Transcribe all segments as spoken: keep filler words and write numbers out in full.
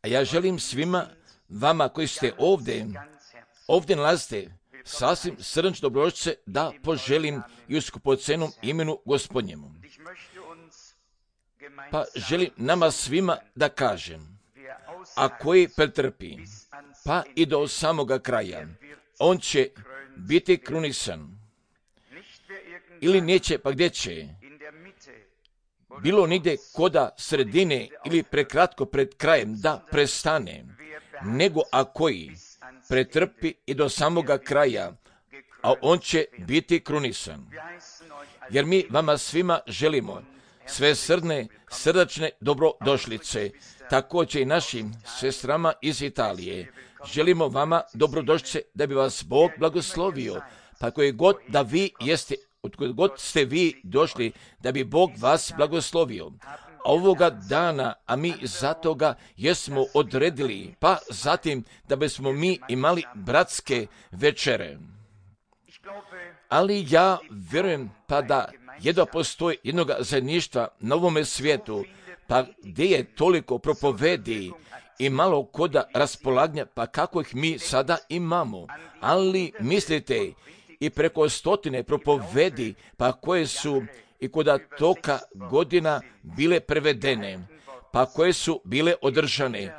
A ja želim svima vama koji ste ovdje, ovdje nalazite, sasvim srdačno dobrodošlice da poželim i u skupocenom imenu Gospodnjemu. Pa želim nama svima da kažem, a koji pretrpi, pa i do samoga kraja, on će biti krunisan. Ili neće, pa gdje će? Bilo nigdje koda sredine ili prekratko pred krajem da prestane, nego a koji pretrpi i do samoga kraja, a on će biti krunisan. Jer mi vama svima želimo sve srdne, srdačne dobrodošlice, također i našim sestrama iz Italije. Želimo vama dobrodošlice da bi vas Bog blagoslovio, pa koji god da vi jeste, od kojeg god ste vi došli, da bi Bog vas blagoslovio. A ovoga dana, a mi zato ga jesmo odredili, pa zatim da bismo mi imali bratske večere. Ali ja vjerujem pa da jedva postoji jednog zajedništva na ovome svijetu, pa gdje je toliko propovedi i malo koda raspolaganja, pa kako ih mi sada imamo. Ali mislite, i preko stotine propovedi, pa koje su i koda toka godina bile prevedene, pa koje su bile održane.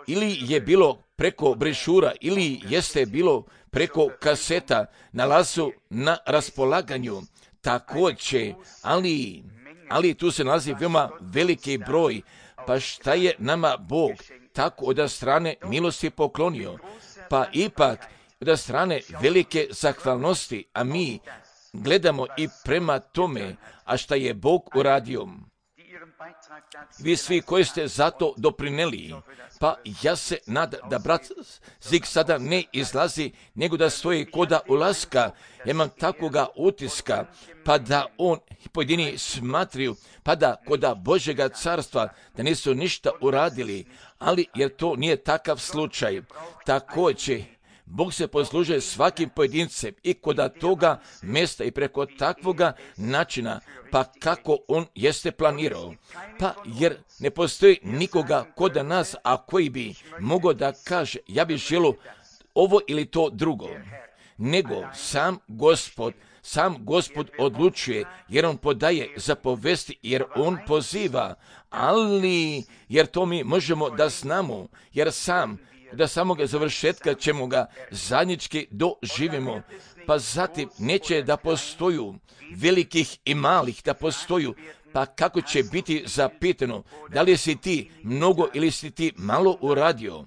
Ili je bilo preko brešura, ili jeste bilo preko kaseta, nalazu na raspolaganju. Također, ali, ali tu se nalazi veoma veliki broj, pa šta je nama Bog tako od strane milosti poklonio, pa ipak od strane velike zahvalnosti, a mi gledamo i prema tome, a šta je Bog uradio. Vi svi koji ste zato doprineli, pa ja se nadam da brat Zik sada ne izlazi, nego da stoji koda ulaska. Ja imam takvoga utiska, pa da on pojedini smatriju, pa da koda Božjega carstva, da nisu ništa uradili, ali jer to nije takav slučaj. Također, Bog se poslužuje svakim pojedincem i koda toga mjesta i preko takvoga načina, pa kako on jeste planirao. Pa jer ne postoji nikoga koda nas, a koji bi mogao da kaže, ja bih želio ovo ili to drugo. Nego sam Gospod, sam Gospod odlučuje, jer on podaje zapovesti, jer on poziva, ali jer to mi možemo da znamo, jer sam da samoga završetka ćemo ga zajednički doživimo, pa zatim neće da postoju velikih i malih, da postoju, pa kako će biti zapitano, da li si ti mnogo ili si ti malo uradio,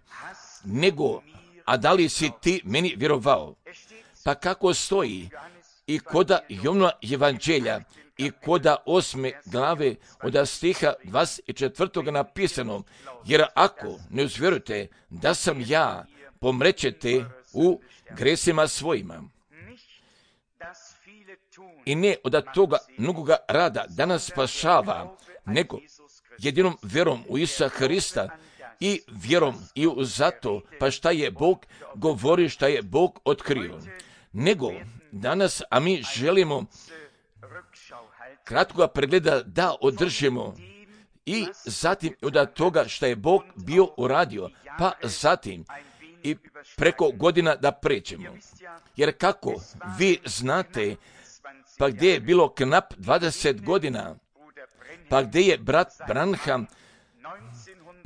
nego, a da li si ti meni vjerovao, pa kako stoji i koda Jovnova evanđelja, i koda osme glave od stiha dvadeset četvrtog napisano, jer ako ne uzvjerujete da sam ja, pomrećete u gresima svojima. I ne od toga mnogoga rada da nas spašava, nego jedinom vjerom u Isusa Hrista i vjerom i u zato, pa šta je Bog govori, šta je Bog otkrio. Nego danas, a mi želimo kratkoga pregleda da održimo i zatim od toga što je Bog bio uradio, pa zatim i preko godina da pređemo. Jer kako vi znate, pa gdje je bilo knap dvadeset godina, pa gdje je brat Branham,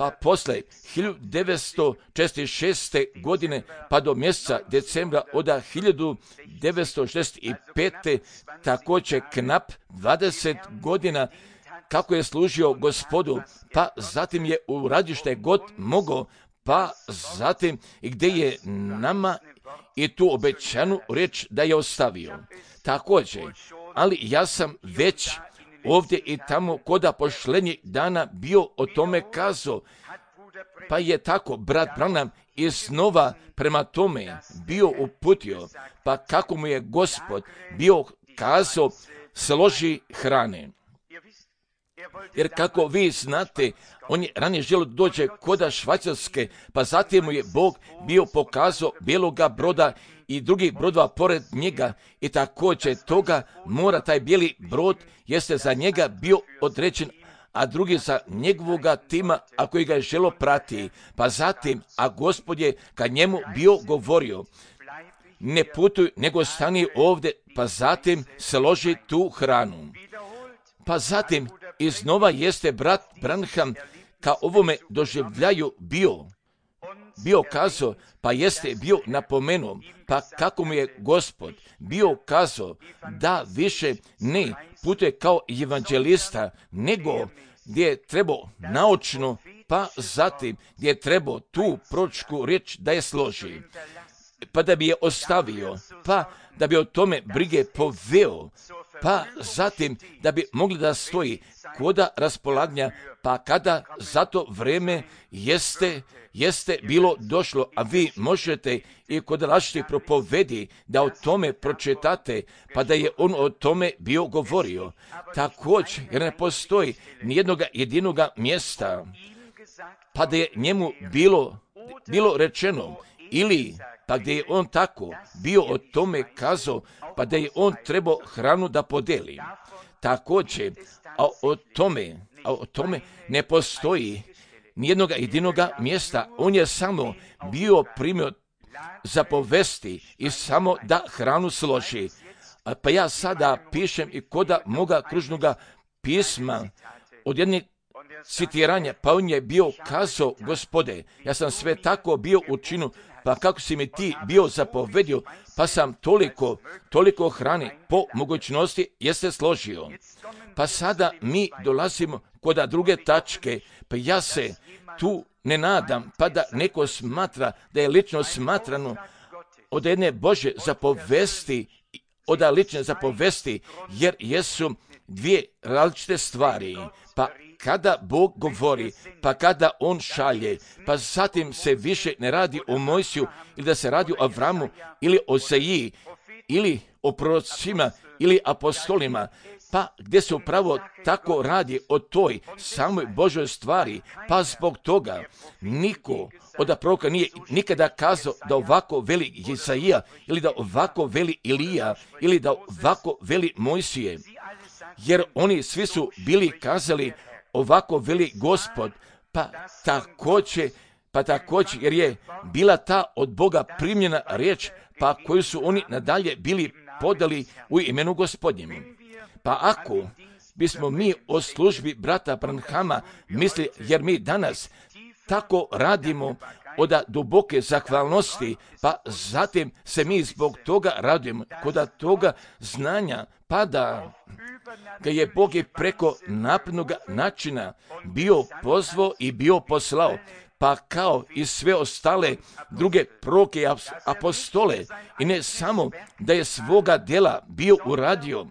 pa posle hiljadu devetsto šezdeset šeste. godine pa do mjeseca decembra od hiljadu devetsto šezdeset pete. također knap dvadeset godina kako je služio Gospodu, pa zatim je uradio što je god mogao, pa zatim i gdje je nama i tu obećanu riječ da je ostavio. Također, ali ja sam već ovdje i tamo koda pošlednjih dana bio o tome kazao, pa je tako brat Branham iznova prema tome bio uputio, pa kako mu je Gospod bio kazao, složi hrane. Jer kako vi znate, on je ranije želio dođe koda Švajcarske, pa zatim mu je Bog bio pokazao bijeloga broda i drugih brodova pored njega i također toga mora taj bijeli brod jeste za njega bio određen, a drugi za njegovoga tima, a koji ga je želo prati. Pa zatim, a Gospod je kad njemu bio govorio, ne putuj, nego stani ovdje, pa zatim složi tu hranu. Pa zatim, iznova jeste brat Branham ka ovome doživljaju bio, bio kazao, pa jeste bio napomenuo, pa kako mu je Gospod bio kazao da više ne putuje kao evanđelista, nego gdje je trebao naučno, pa zatim gdje je trebao tu proročku riječ da je složi, pa da bi je ostavio, pa da bi o tome brige poveo, pa zatim da bi mogli da stoji koda raspolaganja, pa kada za to vreme jeste, jeste bilo došlo, a vi možete i kod različitih propovedi da o tome pročitate, pa da je on o tome bio govorio. Također, jer ne postoji nijednoga jedinoga mjesta, pa da je njemu bilo, bilo rečeno, ili pa gdje je on tako bio o tome kazao, pa da je on trebao hranu da podeli. Također, a o tome, a o tome ne postoji nijednoga jedinoga mjesta. On je samo bio primio zapovesti i samo da hranu složi. Pa ja sada pišem i koda moga kružnoga pisma od jedne citiranja, pa on je bio kazao, Gospode, ja sam sve tako bio učinio, pa kako si mi ti bio zapovedio, pa sam toliko, toliko hrane po mogućnosti jeste složio. Pa sada mi dolazimo kod druge tačke, pa ja se tu ne nadam, pa da neko smatra da je lično smatrano od jedne Bože zapovesti, od lične zapovesti, jer jesu dvije različite stvari. Pa kada Bog govori, pa kada On šalje, pa zatim se više ne radi o Mojsiju, ili da se radi o Avramu, ili o Seji, ili o prorocima, ili apostolima, pa gdje se upravo tako radi o toj samoj Božoj stvari, pa zbog toga niko od proroka nije nikada kazao da ovako veli Jesaija, ili da ovako veli Ilija, ili da ovako veli Mojsije, jer oni svi su bili kazali ovako veli Gospod, pa također, pa također jer je bila ta od Boga primljena riječ, pa koju su oni nadalje bili podali u imenu Gospodnjem. Pa ako bismo mi o službi brata Branhama misli, jer mi danas tako radimo od duboke zahvalnosti, pa zatim se mi zbog toga radujemo, kod toga znanja, pa da ga je Bog i preko naprednog načina bio pozvao i bio poslao, pa kao i sve ostale druge proroke i apostole, i ne samo da je svoga djela bio uradio,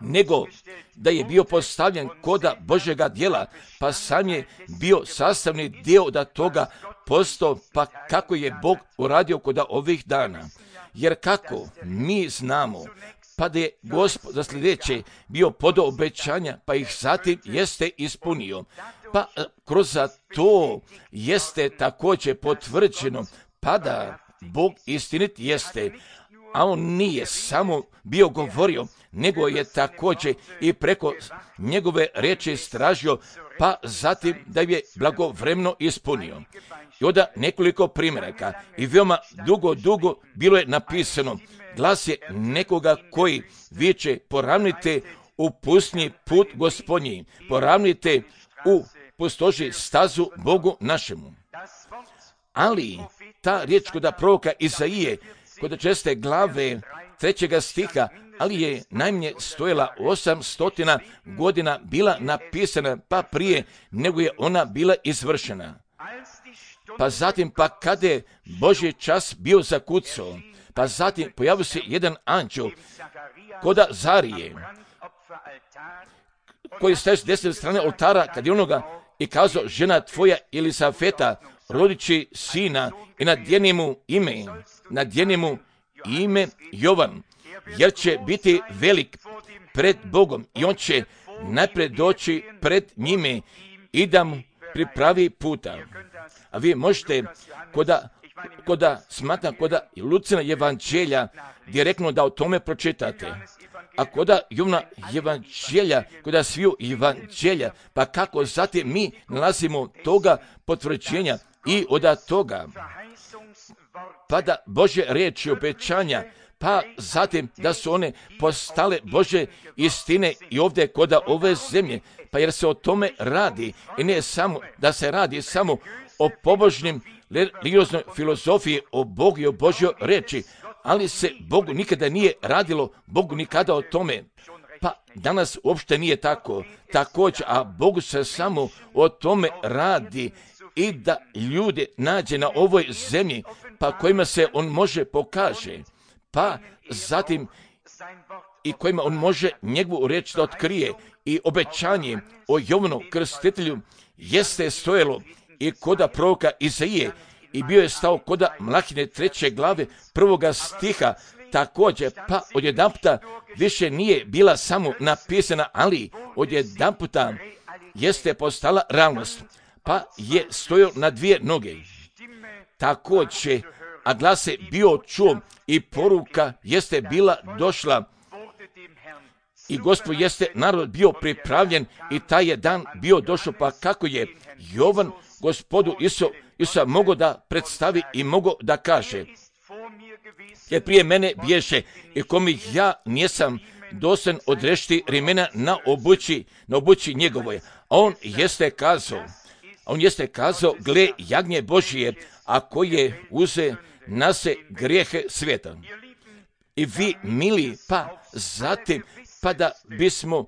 nego da je bio postavljen koda Božjega djela, pa sam je bio sastavni dio da toga postao, pa kako je Bog uradio koda ovih dana. Jer kako mi znamo, pa da je Gospod za sljedeće bio podao obećanja, pa ih zatim jeste ispunio. Pa kroz to jeste također potvrđeno, pa da Bog istinit jeste, a on nije samo bio govorio, nego je također i preko njegove riječi istražio, pa zatim da je blagovremeno ispunio. I onda nekoliko primjeraka i veoma dugo, dugo bilo je napisano, glas je nekoga koji viče, poravnite u pustinji put Gospodnji, poravnite u pustoši stazu Bogu našemu. Ali ta riječ kod proroka Izaije, kod česte glave trećega stiha, ali je najmanje stojala osamstotina godina bila napisana, pa prije nego je ona bila izvršena. Pa zatim, pa kada je Božji čas bio zakucao, pa zatim pojavio se jedan anđeo koda Zarije, koji staje s desne strane oltara, kad je onoga i kazao, žena tvoja Elisafeta rodići sina i nadjeni mu ime, nadjeni mu ime Jovan, jer će biti velik pred Bogom i on će najpred doći pred njime i da mu pripravi puta. A vi možete koda, koda smatram koda Lucina evanđelja direktno da o tome pročitate. a koda Jovna evanđelja, koda sviju evanđelja, pa kako zatim mi nalazimo toga potvrđenja i od toga, pa da Božje riječi obećanja, pa zatim da su one postale Božje istine i ovdje koda ove zemlje, pa jer se o tome radi i ne samo da se radi samo o pobožnim religioznoj filozofiji, o Bogu i o Božjoj reči, ali se Bogu nikada nije radilo, Bogu nikada o tome. Pa danas uopšte nije tako. Također, a Bogu se samo o tome radi i da ljude nađe na ovoj zemlji, pa kojima se on može pokaže, pa zatim i kojima on može njegovu riječ da otkrije. I obećanje o Jovanu Krstitelju jeste stojalo i koda proroka Izaije i bio je stao koda Mlahine treće glave prvoga stiha, također, pa odjedanputa više nije bila samo napisana, ali odjedanputa jeste postala realnost, pa je stojao na dvije noge. Također, a glas je bio čuo i poruka jeste bila došla i Gospod jeste narod bio pripravljen i taj je dan bio došao, pa kako je Jovan Gospodu Isu, Isusa mogao da predstavi i mogao da kaže, jer prije mene bješe i komi ja nisam dosan odrešiti rimena na obući, na obući njegovoj. A on jeste kazao, on jeste kazao, gle jagnje Božije, a koje uze na se grijehe svijeta. I vi, mili, pa zatim, pa da bismo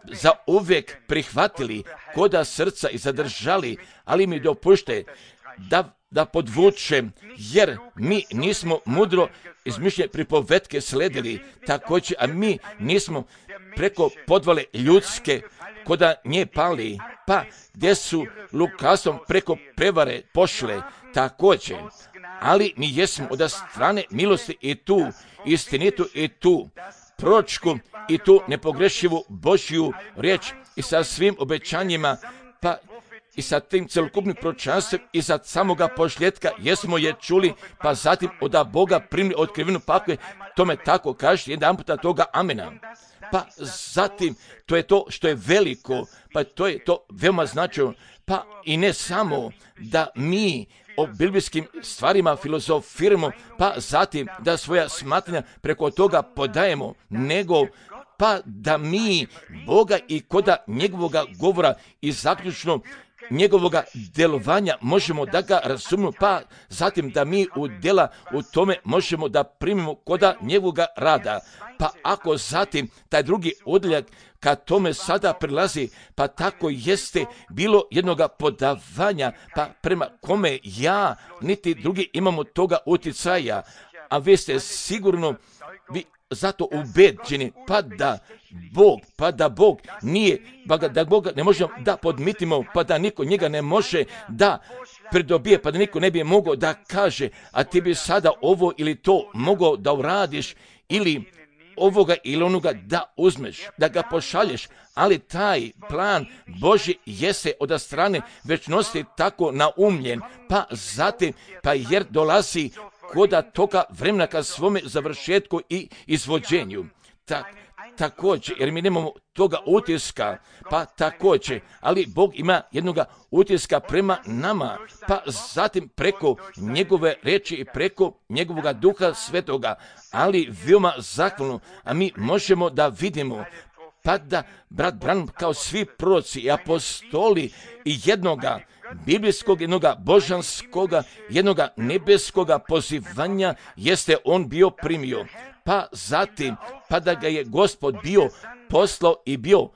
za uvijek prihvatili koda srca i zadržali, ali mi dopušte da, da podvučem, jer mi nismo mudro izmišljene pripovetke sledili, također, a mi nismo preko podvale ljudske koda nje pali, pa gdje su lukavstvom preko prevare pošle, također, ali mi jesmo od strane milosti i tu istinitu i tu proročku i tu nepogrešivu Božju riječ i sa svim obećanjima, pa i sa tim celokupnim proročanstvom i za samoga pošljetka jesmo je čuli, pa zatim od Boga primili otkrivenu, pa ako je tome tako, kažete jedan puta toga amena. Pa zatim, to je to što je veliko, pa to je to veoma značajno, pa i ne samo da mi o biblijskim stvarima filozofiramo, pa zatim da svoja smatranja preko toga podajemo, nego pa da mi Boga i koda njegovoga govora i zaključno njegovoga djelovanja možemo da ga razumimo, pa zatim da mi u djela u tome možemo da primimo koda njegovoga rada. Pa ako zatim taj drugi odjeljak ka tome sada prilazi, pa tako jeste bilo jednoga podavanja, pa prema kome ja niti drugi imamo toga utjecaja, a vi ste sigurno vi zato ubeđeni, pa da Bog, pa da Bog nije, pa da Boga ne možemo da podmitimo, pa da niko njega ne može da pridobije, pa da niko ne bi mogao da kaže, a ti bi sada ovo ili to mogao da uradiš, ili ovoga ili onoga da uzmeš, da ga pošalješ, ali taj plan Božji jeste od strane večnosti tako naumljen, pa zatim, pa jer dolazi koda toga vremena ka svome završetku i izvođenju. Tak, također, jer mi nemamo toga utiska, pa također, ali Bog ima jednoga utiska prema nama, pa zatim preko njegove reči i preko njegovoga duha svetoga, ali veoma zahvalno, a mi možemo da vidimo, pa da brat Branham kao svi proroci i apostoli i jednoga biblijskog, jednoga božanskoga, jednoga nebeskoga pozivanja jeste on bio primio. Pa zatim, pa da ga je Gospod bio poslao i bio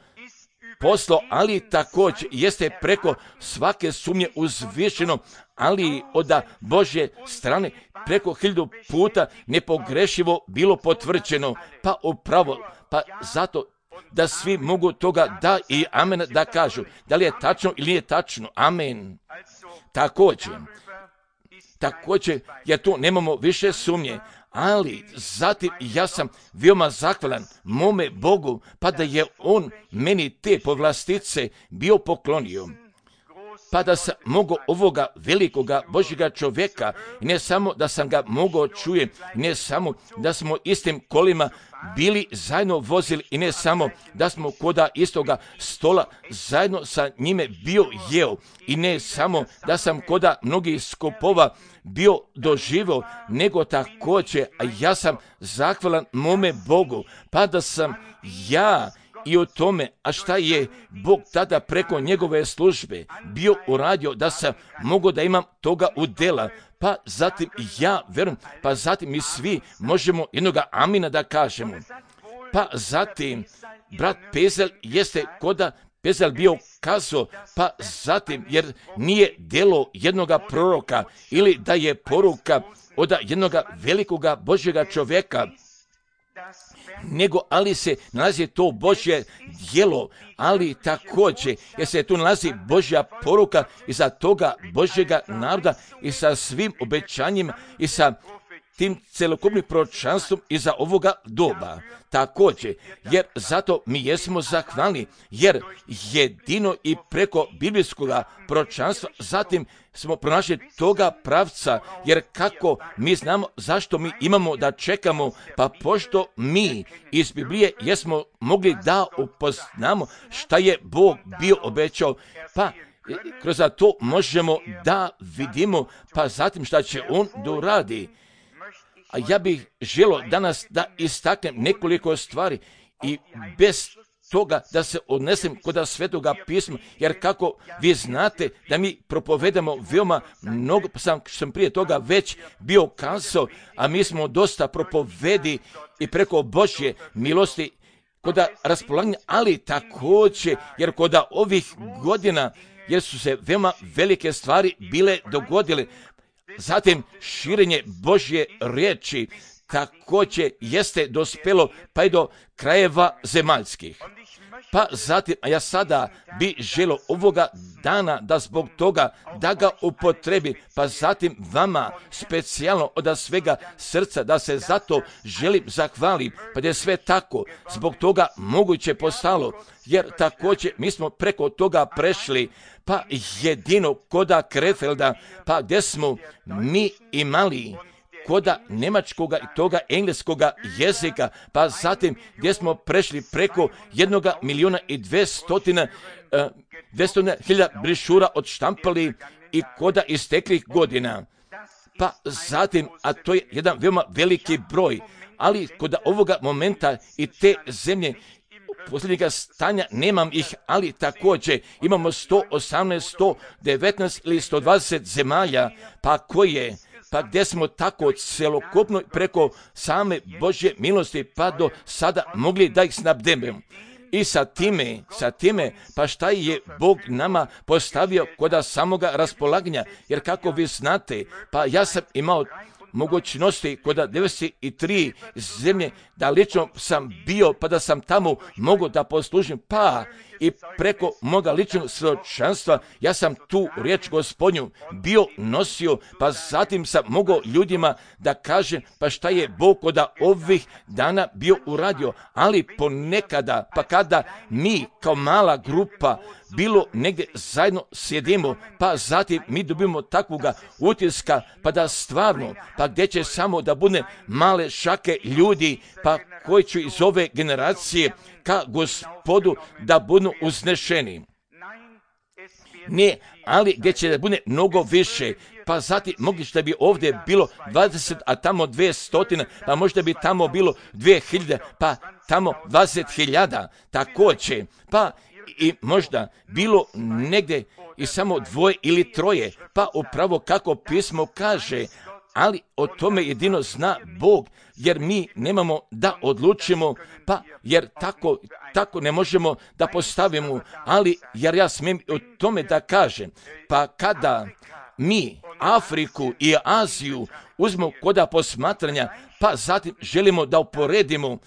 poslao, ali također jeste preko svake sumnje uzvišeno, ali od Božje strane preko hiljadu puta nepogrešivo bilo potvrđeno, pa upravo, pa zato da svi mogu toga da i amen da kažu, da li je tačno ili nije tačno, amen. Također, također, jer tu nemamo više sumnje, ali zatim ja sam veoma zahvalan mome Bogu, pa da je on meni te povlastice bio poklonio. pa da sam mogao ovoga velikoga Božjega čovjeka, i ne samo da sam ga mogao čujem, ne samo da smo istim kolima bili zajedno vozili, i ne samo da smo koda istoga stola zajedno sa njime bio jeo, i ne samo da sam koda mnogih skupova bio doživio, nego također, a ja sam zahvalan mome Bogu, pa da sam ja i o tome, a šta je Bog tada preko njegove službe bio uradio, da sam mogao da imam toga udjela, pa zatim ja verujem, pa zatim mi svi možemo jednoga amina da kažemo. Pa zatim, brat Pezel jeste koda Pezel bio kazao, pa zatim, jer nije djelo jednoga proroka, ili da je poruka od jednoga velikoga Božjega čovjeka, nego ali se nalazi to Božje djelo, ali također jer se tu nalazi Božja poruka iza toga Božjega naroda i sa svim obećanjima i sa tim celokupnim proročanstvom iza ovoga doba. Također, jer zato mi jesmo zahvalni, jer jedino i preko biblijskog proročanstva zatim smo pronašli toga pravca, jer kako mi znamo zašto mi imamo da čekamo, pa pošto mi iz Biblije jesmo mogli da upoznamo šta je Bog bio obećao, pa kroz to možemo da vidimo, pa zatim šta će On da uradi. A ja bih želio danas da istaknem nekoliko stvari i bez toga da se odnesem kod Svetoga pisma, jer kako vi znate da mi propovedamo veoma mnogo, pa sam, sam prije toga već bio kazao, a mi smo dosta propovedi i preko Božje milosti kod raspolaganja, ali također jer kod ovih godina, jer su se veoma velike stvari bile dogodile, zatim širenje Božje riječi također jeste dospelo pa i do krajeva zemaljskih. Pa zatim, a ja sada bi želio ovoga dana da zbog toga da ga upotrebi, pa zatim vama specijalno od svega srca da se zato želim zahvalim, pa da je sve tako zbog toga moguće postalo, jer također mi smo preko toga prešli, pa jedino koda Krefelda, pa gdje smo mi imali koda njemačkoga i toga engleskoga jezika, pa zatim gdje smo prešli preko jednoga milijuna i dvestotina hiljada brišura odštampali i koda isteklih godina. Pa zatim, a to je jedan veoma veliki broj, ali kod ovoga momenta i te zemlje posljednjega stanja nemam ih, ali također imamo sto osamnaest, sto devetnaest ili sto dvadeset zemalja, pa koje, pa gdje smo tako celokupno preko same Božje milosti pa do sada mogli da ih snabdemo. I sa time, sa time, pa šta je Bog nama postavio kod samoga raspolaganja, jer kako vi znate, pa ja sam imao mogućnosti kod devedeset tri zemlje da lično sam bio, pa da sam tamo mogao da poslužim, pa i preko moga ličnog svjedočanstva ja sam tu riječ Gospodnju bio nosio, pa zatim sam mogao ljudima da kažem pa šta je Bog kod ovih dana bio uradio, ali ponekada, pa kada mi kao mala grupa bilo negdje zajedno sjedimo, pa zatim mi dobimo takvoga utiska, pa da stvarno, pa gdje će samo da bude male šake ljudi, pa koji će iz ove generacije ka Gospodu da budu uznešeni. Ne, ali gdje će da bude mnogo više, pa zatim moguće da bi ovdje bilo dvadeset, a tamo dvjesto, pa možda bi tamo bilo dvije hiljade, pa tamo dvadeset hiljada, također, pa i možda bilo negdje i samo dvoje ili troje, pa upravo kako pismo kaže, ali o tome jedino zna Bog, jer mi nemamo da odlučimo, pa jer tako, tako ne možemo da postavimo, ali jer ja smijem o tome da kažem, pa kada mi Afriku i Aziju uzmemo koda posmatranja, pa zatim želimo da uporedimo,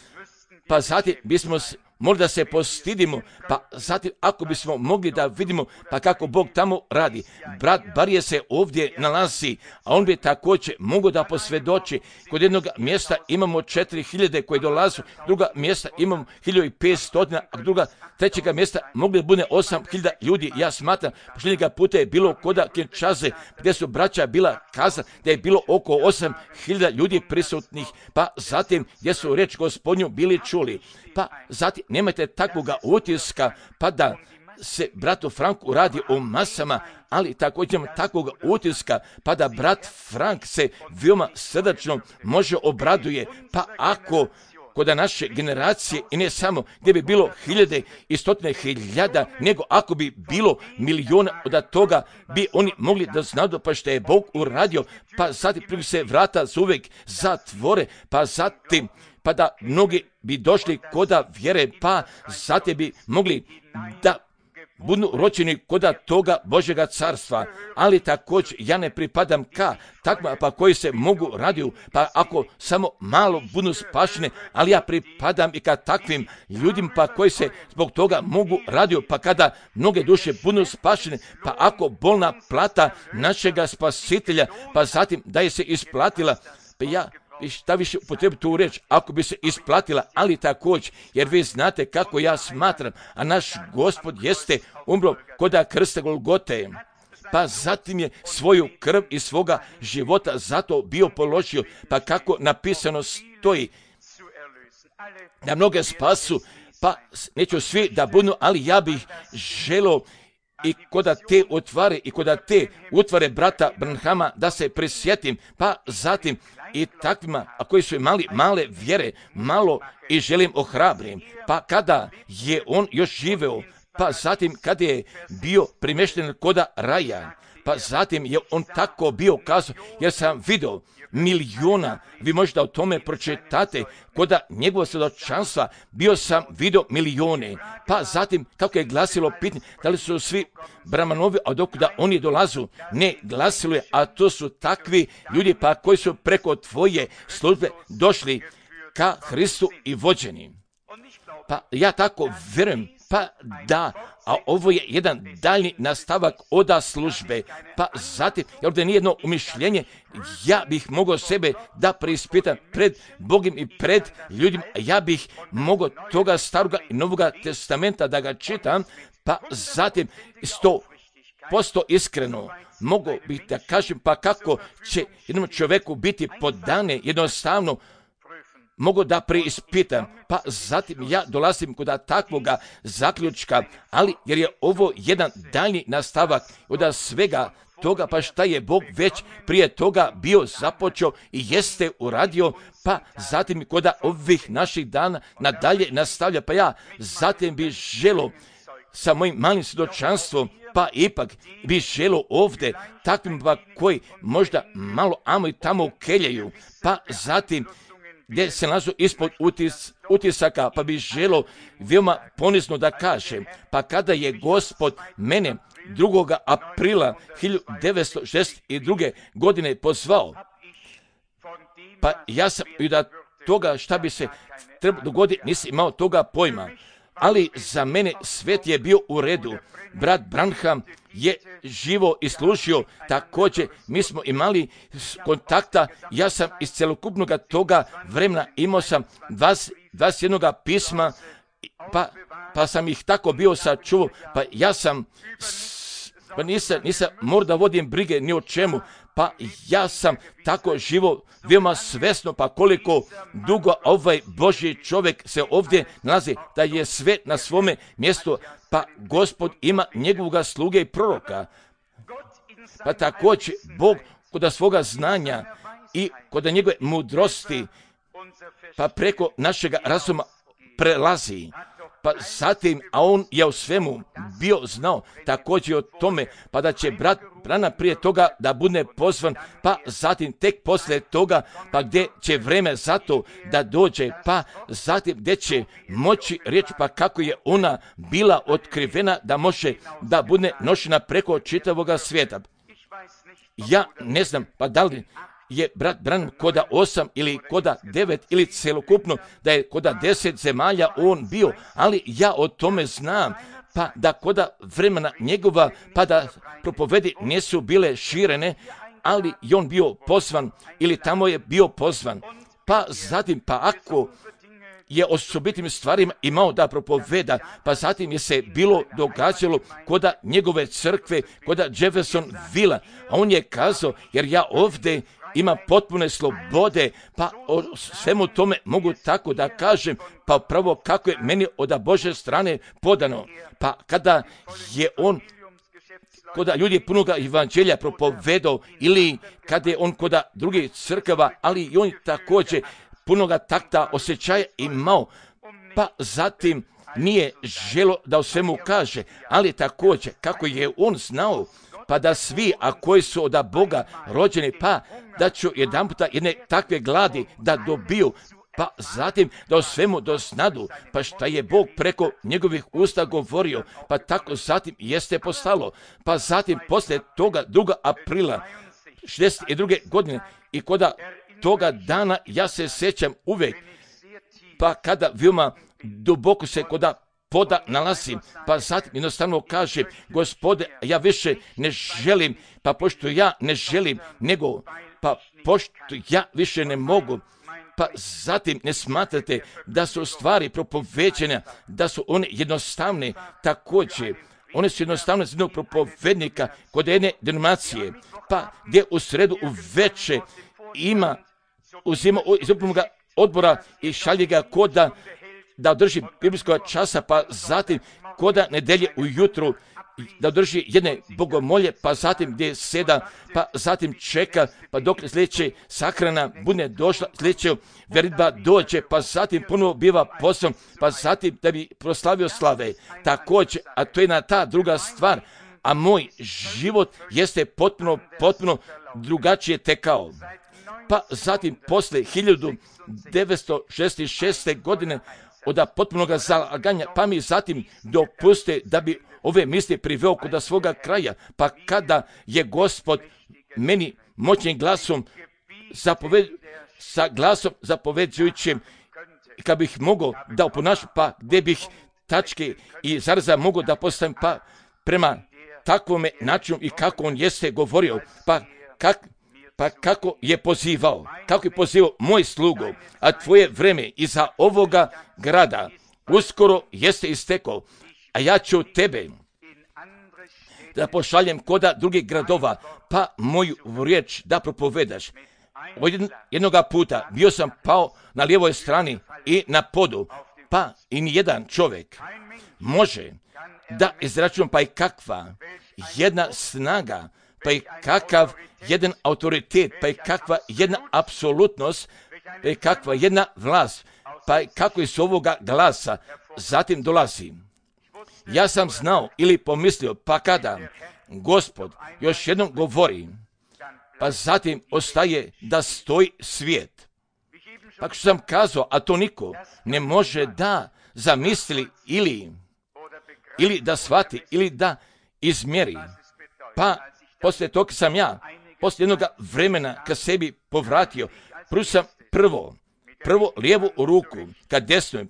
pa zatim bismo možda se postidimo, pa zatim ako bismo mogli da vidimo pa kako Bog tamo radi. Brat Barije se ovdje nalazi, a on bi također mogao da posvjedoči. Kod jednog mjesta imamo četiri hiljade koji dolazu, druga mjesta imamo hiljadu petsto, a druga, trećega mjesta mogli bude osam hiljada ljudi. Ja smatram, posljednjega puta je bilo koda Kinčaze, gdje su braća bila kaza, da je bilo oko osam hiljada ljudi prisutnih, pa zatim gdje su reč Gospodnju bili čuli. Pa zatim nemojte takvoga utiska, pa da se bratu Franku radi o masama, ali također takvog utiska, pa da brat Frank se veoma srdačno može obraduje, pa ako kod naše generacije i ne samo gdje bi bilo hiljade i stotine hiljada, nego ako bi bilo milijuna od toga bi oni mogli da znadu pa što je Bog uradio, pa zatim prvi se vrata uvijek zatvore, pa zatim pa da mnogi bi došli koda vjere, pa zatim bi mogli da budu rođeni koda toga Božjega carstva, ali također ja ne pripadam ka takva pa koji se mogu radiju, pa ako samo malo budu spašene, ali ja pripadam i ka takvim ljudima pa koji se zbog toga mogu radiju, pa kada mnoge duše budu spašene, pa ako bolna plata našega spasitelja, pa zatim da je se isplatila, pa ja i šta više upotrebi tu reč, ako bi se isplatila, ali također, jer vi znate kako ja smatram, a naš Gospod jeste umro koda krsta Golgote, pa zatim je svoju krv i svoga života zato bio položio, pa kako napisano stoji, da mnoge spasu, pa neću svi da budu, ali ja bih želio i koda te utvare i koda te utvare brata Branhama da se prisjetim, pa zatim i takvima, a koji su imali male vjere, malo i želim ohrabrim, pa kada je on još živeo, pa zatim kada je bio primješten koda raja, pa zatim je on tako bio kazao, jer sam vidio milijuna, vi možete o tome pročitate, koda njegova svjedočanstva bio sam vidio milijune, pa zatim kako je glasilo pitanje, da li su svi Bramanovi, a dok da oni dolazu, ne glasilo je, a to su takvi ljudi pa koji su preko tvoje službe došli ka Hristu i vođeni. Pa ja tako vjerujem, pa da, a ovo je jedan daljni nastavak oda službe, pa zatim, jer ovdje nije jedno umišljenje, ja bih mogao sebe da preispitam pred Bogom i pred ljudima, ja bih mogao toga staroga i novoga testamenta da ga čitam, pa zatim sto posto iskreno mogu bih da kažem, pa kako će jednom čovjeku biti podane jednostavno, mogu da preispitam, pa zatim ja dolazim kod takvoga zaključka, ali jer je ovo jedan daljnji nastavak od svega toga, pa šta je Bog već prije toga bio započeo i jeste uradio, pa zatim kod ovih naših dana nadalje nastavlja, pa ja zatim bi želio sa mojim malim svjedočanstvom, pa ipak bi želio ovdje takvim pa koji možda malo amo i tamo keljaju, pa zatim gdje se nalazu ispod utis, utisaka, pa bi želio veoma ponizno da kažem, pa kada je Gospod mene drugoga aprila hiljadu devetsto šezdeset druge. godine pozvao, pa ja sam i da toga šta bi se trebalo dogoditi, nisam imao toga pojma, ali za mene svet je bio u redu. Brat Branham je živo i služio, također mi smo imali kontakta, ja sam iz celokupnog toga vremena imao sam dvadeset jedan pisma, pa, pa sam ih tako bio sačuvao, pa ja sam, pa nisam, nisam morao da vodim brige ni o čemu, pa ja sam tako živo, veoma svesno, pa koliko dugo ovaj Božji čovjek se ovdje nalazi, da je sve na svome mjestu, pa Gospod ima njegovoga sluge i proroka. Pa također Bog kod svoga znanja i kod njegove mudrosti, pa preko našega razuma prelazi. Pa zatim, a on je u svemu bio znao također o tome, pa da će brat Brana prije toga da bude pozvan, pa zatim tek poslije toga, pa gdje će vreme za to da dođe, pa zatim gdje će moći reći, pa kako je ona bila otkrivena da može da bude nošena preko čitavoga svijeta. Ja ne znam, pa da li je brat Branham koda osam ili koda devet ili celokupno da je koda deset zemalja on bio, ali ja o tome znam, pa da koda vremena njegova, pa da propovedi nisu bile širene, ali je on bio pozvan ili tamo je bio pozvan. Pa zatim, pa ako je o osobitim stvarima imao da propoveda, pa zatim je se bilo događalo koda njegove crkve, koda Jeffersonville, a on je kazao, jer ja ovdje ima potpune slobode, pa o svemu tome mogu tako da kažem, pa pravo kako je meni od Božje strane podano. Pa kada je on koda ljudi punoga evanđelja propovedao ili kada je on koda drugih crkava, ali i on također punoga takta osjećaja imao, pa zatim nije želo da o svemu kaže, ali također kako je on znao, pa da svi, a koji su od Boga rođeni, pa da ću jedan puta jedne takve gladi da dobiju, pa zatim da o svemu doznadu, pa šta je Bog preko njegovih usta govorio, pa tako zatim jeste postalo, pa zatim poslije toga drugog aprila šezdeset druge godine i koda toga dana ja se sjećam uvijek, pa kada veoma duboko se koda poda nalazim, pa zatim jednostavno kažem, Gospode, ja više ne želim, pa pošto ja ne želim, nego, pa pošto ja više ne mogu, pa zatim ne smatrate da su stvari propoveđene, da su one jednostavne, također, one su jednostavne za jednog propovednika kod jedne denominacije, pa gdje u sredu u veče ima, uzima iz upravnog odbora i šalje ga koda da održi biblijskog časa, pa zatim koda nedelje ujutru da održi jedne bogomolje, pa zatim gdje seda, pa zatim čeka, pa dok sljedeće sahrana bude došla, sljedeća veritba dođe, pa zatim ponovo biva poslan, pa zatim da bi proslavio slave. Također, a to je jedna ta druga stvar, a moj život jeste potpuno, potpuno drugačije tekao. Pa zatim posle hiljadu devetsto šezdeset šeste. godine od potpunog zalaganja, pa mi zatim dopuste da bi ove misli priveo kod svoga kraja, pa kada je Gospod meni moćnim glasom zapoved, sa glasom zapoveđujućim, kad bih mogao da oponašam, pa gdje bih tačke i zareza mogao da postavim, pa prema takvome načinu i kako on jeste govorio, pa kak, pa kako je pozivao, kako je pozivao moj slugo, a tvoje vreme iza ovoga grada uskoro jeste istekao, a ja ću tebe da pošaljem koda drugih gradova, pa moju riječ da propovedaš. Od jednoga puta bio sam pao na lijevoj strani i na podu, pa i nijedan čovjek može da izračunam, pa i kakva jedna snaga, pa i kakav jedan autoritet, pa i kakva jedna apsolutnost, pa i kakva jedna vlast, pa i kako iz ovoga glasa zatim dolazi. Ja sam znao ili pomislio, pa kada Gospod još jednom govori, pa zatim ostaje da stoji svijet. Pa što sam kazao, a to niko ne može da zamisli ili, ili da shvati, ili da izmjeri. Pa poslije toga sam ja, poslije jednog vremena kad sebi povratio, prvo sam prvo, prvo lijevu ruku, kad desnujem,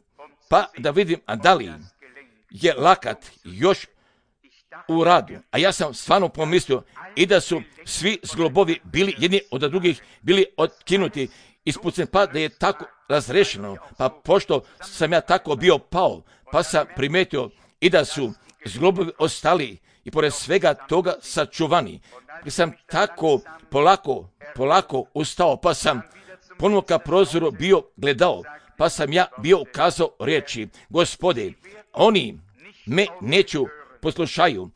pa da vidim, a da li je lakat još u radu. A ja sam stvarno pomislio i da su svi zglobovi bili jedni od drugih, bili otkinuti, ispuceni, pa da je tako razrešeno. Pa pošto sam ja tako bio pao, pa sam primetio i da su zglobovi ostali i pored svega toga sačuvani. I sam tako polako, polako ustao, pa sam ponovo ka prozoru bio gledao, pa sam ja bio ukazao riječi, Gospode, oni me neću poslušaju,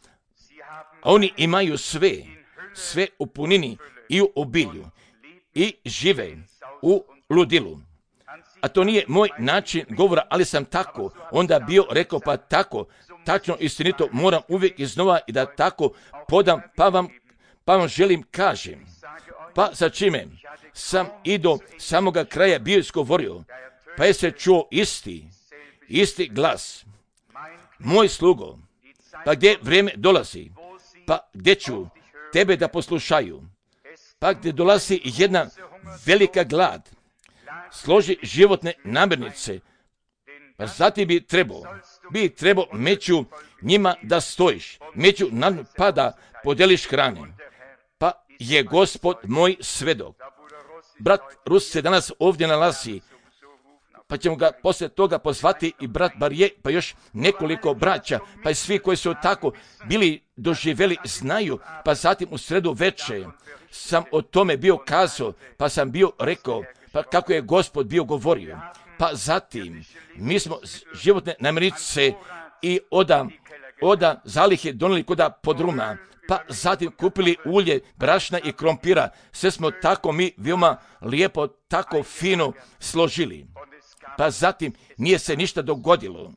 a oni imaju sve, sve u punini i u obilju i žive u ludilu. A to nije moj način govora, ali sam tako onda bio rekao, pa tako, tačno istinito moram uvijek iznova i da tako podam, pa vam, pa vam želim kažem. Pa sa čime sam i do samoga kraja bio izgovorio, pa je se čuo isti, isti glas. Moj slugo, pa gdje vrijeme dolazi, pa gdje ću tebe da poslušaju. pa gdje dolazi jedna velika glad, složi životne namirnice, pa zatim bi trebao, bi trebao među njima da stojiš, među nam pa da podeliš hrane. Pa je Gospod moj svedok. Brat Rus se danas ovdje nalazi, pa ćemo ga poslije toga pozvati i brat Barje, pa još nekoliko braća, pa i svi koji su tako bili doživjeli znaju, pa zatim u sredu večer sam o tome bio kazao, pa sam bio rekao, pa kako je Gospod bio govorio. Pa zatim mi smo životne namirnice i oda, oda zalihe donijeli koda podruma, pa zatim kupili ulje, brašna i krompira. Sve smo tako mi veoma lijepo, tako fino složili. Pa zatim nije se ništa dogodilo.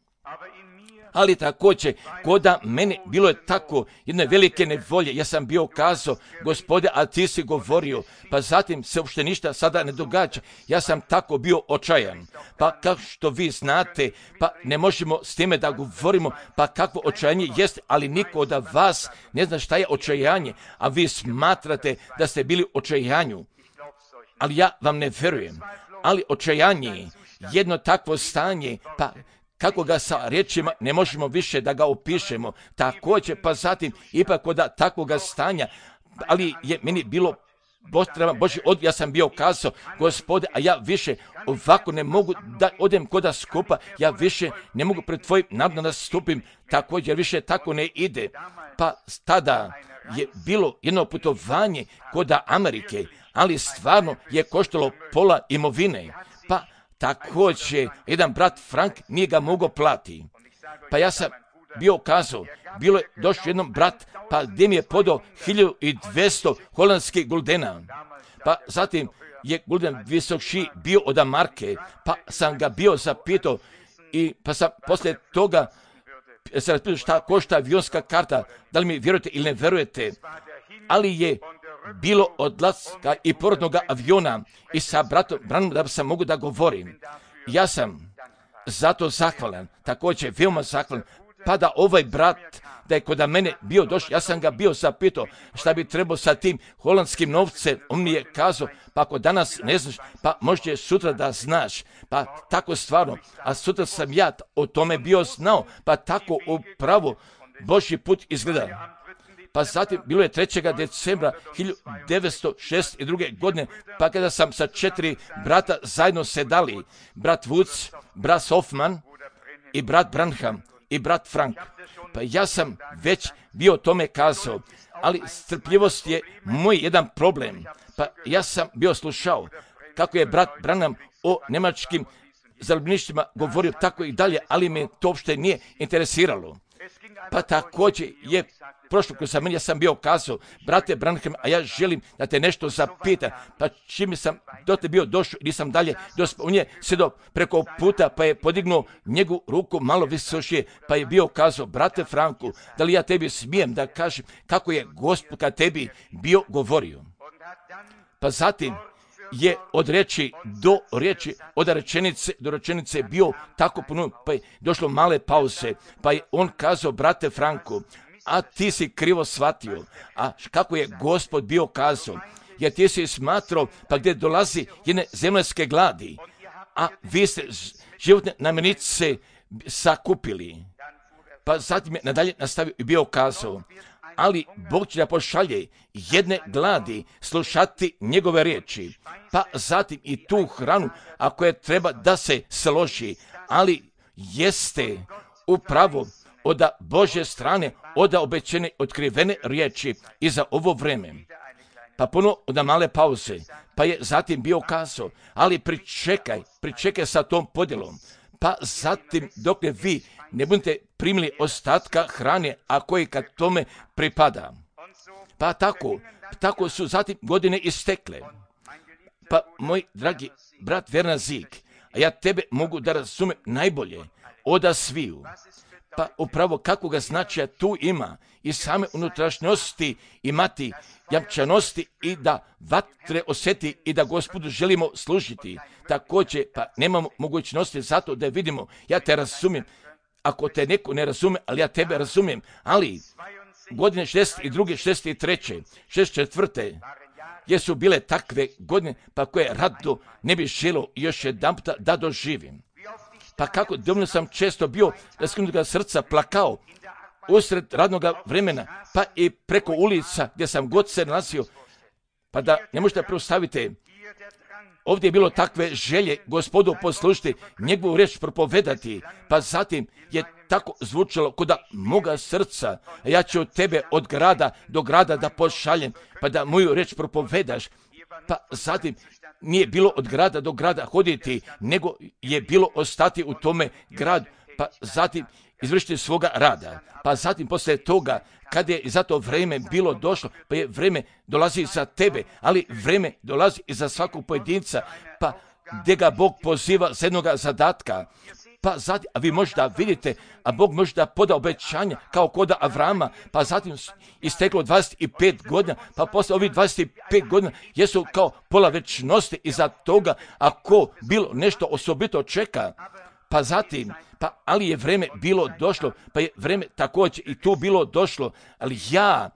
Ali također, koda mene bilo je tako jedne velike nevolje. Ja sam bio kazao, Gospode, a ti si govorio, pa zatim se uopšte ništa sada ne događa. Ja sam tako bio očajan. Pa kao što vi znate, pa ne možemo s time da govorimo, pa kakvo očajanje jest, ali niko od vas ne zna šta je očajanje, a vi smatrate da ste bili u očajanju. Ali ja vam ne verujem. Ali očajanje, jedno takvo stanje, pa kako ga sa riječima ne možemo više da ga opišemo. Također, pa zatim, ipak od takvoga stanja, ali je meni bilo potreban Božji odgovor. Ja sam bio kazao, Gospode, a ja više ovako ne mogu da odem koda skupa, ja više ne mogu pred tvojim narodom nastupim, također više tako ne ide. Pa tada je bilo jedno putovanje koda Amerike, ali stvarno je koštalo pola imovine. Pa također, jedan brat Frank nije ga mogao plati. Pa ja sam bio kazao, bilo je došao jednom brat, pa gdje mi je podao hiljadu dvjesto holandskih guldena. Pa zatim je gulden visokši bio od marke, pa sam ga bio zapitao i pa sam poslije toga se raspitao šta košta avionska karta, da li mi vjerujete ili ne vjerujete, ali je bilo odlaska i porodnog aviona i sa bratom Branom da sam mogu da govorim. Ja sam zato zahvalan, također veoma zahvalan, pa da ovaj brat, da je kod mene bio došao, ja sam ga bio zapitao šta bi trebao sa tim holandskim novcem, on mi je kazao, pa ako danas ne znaš, pa možda sutra da znaš, pa tako stvarno, a sutra sam ja o tome bio znao, pa tako upravo Božji put izgleda. Pa zatim bilo je trećeg decembra hiljadu devetsto šezdeset druge. godine, pa kada sam sa četiri brata zajedno sedali, brat Woods, brat Hoffman i brat Branham i brat Frank. Pa ja sam već bio o tome kazao, ali strpljivost je moj jedan problem. Pa ja sam bio slušao kako je brat Branham o njemačkim zarobljeništvima govorio tako i dalje, ali me to uopšte nije interesiralo. Pa također je prošlo kroz meni, ja sam bio kazao, brate Branham, a ja želim da te nešto zapita, pa čim sam do te bio došao i nisam dalje dospio, on je sjedo preko puta, pa je podignuo njegu ruku malo visošije, pa je bio kazao, brate Franku, da li ja tebi smijem da kažem kako je Gospod ka tebi bio govorio. Pa zatim je od riječi do riječi, od rečenice do rečenice bio tako puno, pa je došlo male pauze, pa je on kazao, brate Franku, a ti si krivo shvatio, a kako je Gospod bio kazao, jer ti si smatrao, pa gdje dolazi jedne zemaljske gladi, a vi ste životne namirnice sakupili. Pa zatim je nadalje nastavio i bio kazao, ali Bog će da pošalje jedne gladi slušati njegove riječi, pa zatim i tu hranu, ako je treba da se složi, ali jeste upravo od Božje strane, od obećene otkrivene riječi i za ovo vreme. Pa puno od male pauze, pa je zatim bio kazao, ali pričekaj, pričekaj sa tom podjelom, pa zatim dok ne vi ne budete primili ostatka hrane, a koji kad tome pripada. Pa tako, tako su zatim godine istekle. Pa moj dragi brat Werner Sieg, a ja tebe mogu da razumem najbolje oda sviju. Pa upravo kako ga značaja tu ima i same unutrašnjosti imati jamčanosti i da vatre osjeti i da Gospodu želimo služiti. Također, pa nemamo mogućnosti zato da vidimo, ja te razumijem, ako te neko ne razume, ali ja tebe razumijem, ali godine šezdeset druge, šezdeset treće, šezdeset četvrte jesu bile takve godine, pa koje rado ne bi želio još jedan puta da doživim. Pa kako dovoljno sam često bio da skinutoga srca plakao usred radnog vremena, pa i preko ulica gdje sam god se nalazio, pa da ne možete predstaviti, ovdje je bilo takve želje Gospodu poslušati, njegovu riječ propovedati, pa zatim je tako zvučalo kod moga srca, a ja ću tebe od grada do grada da pošaljem, pa da moju riječ propovedaš. Pa zatim nije bilo od grada do grada hoditi, nego je bilo ostati u tome gradu, pa zatim izvršiti svoga rada. Pa zatim poslije toga, kad je za to vrijeme bilo došlo, pa je vrijeme dolazi za tebe, ali vrijeme dolazi i za svakog pojedinca, pa gdje ga Bog poziva za jednoga zadatka. Pa zatim, a vi možda vidite, a Bog možda poda obećanja kao koda Avrama, pa zatim isteklo dvadeset pet godina, pa posle ovih dvadeset pet godina jesu kao pola večnosti iza toga, ako bilo nešto osobito čeka. Pa zatim, pa ali je vrijeme bilo došlo, pa je vrijeme također i tu bilo došlo, ali ja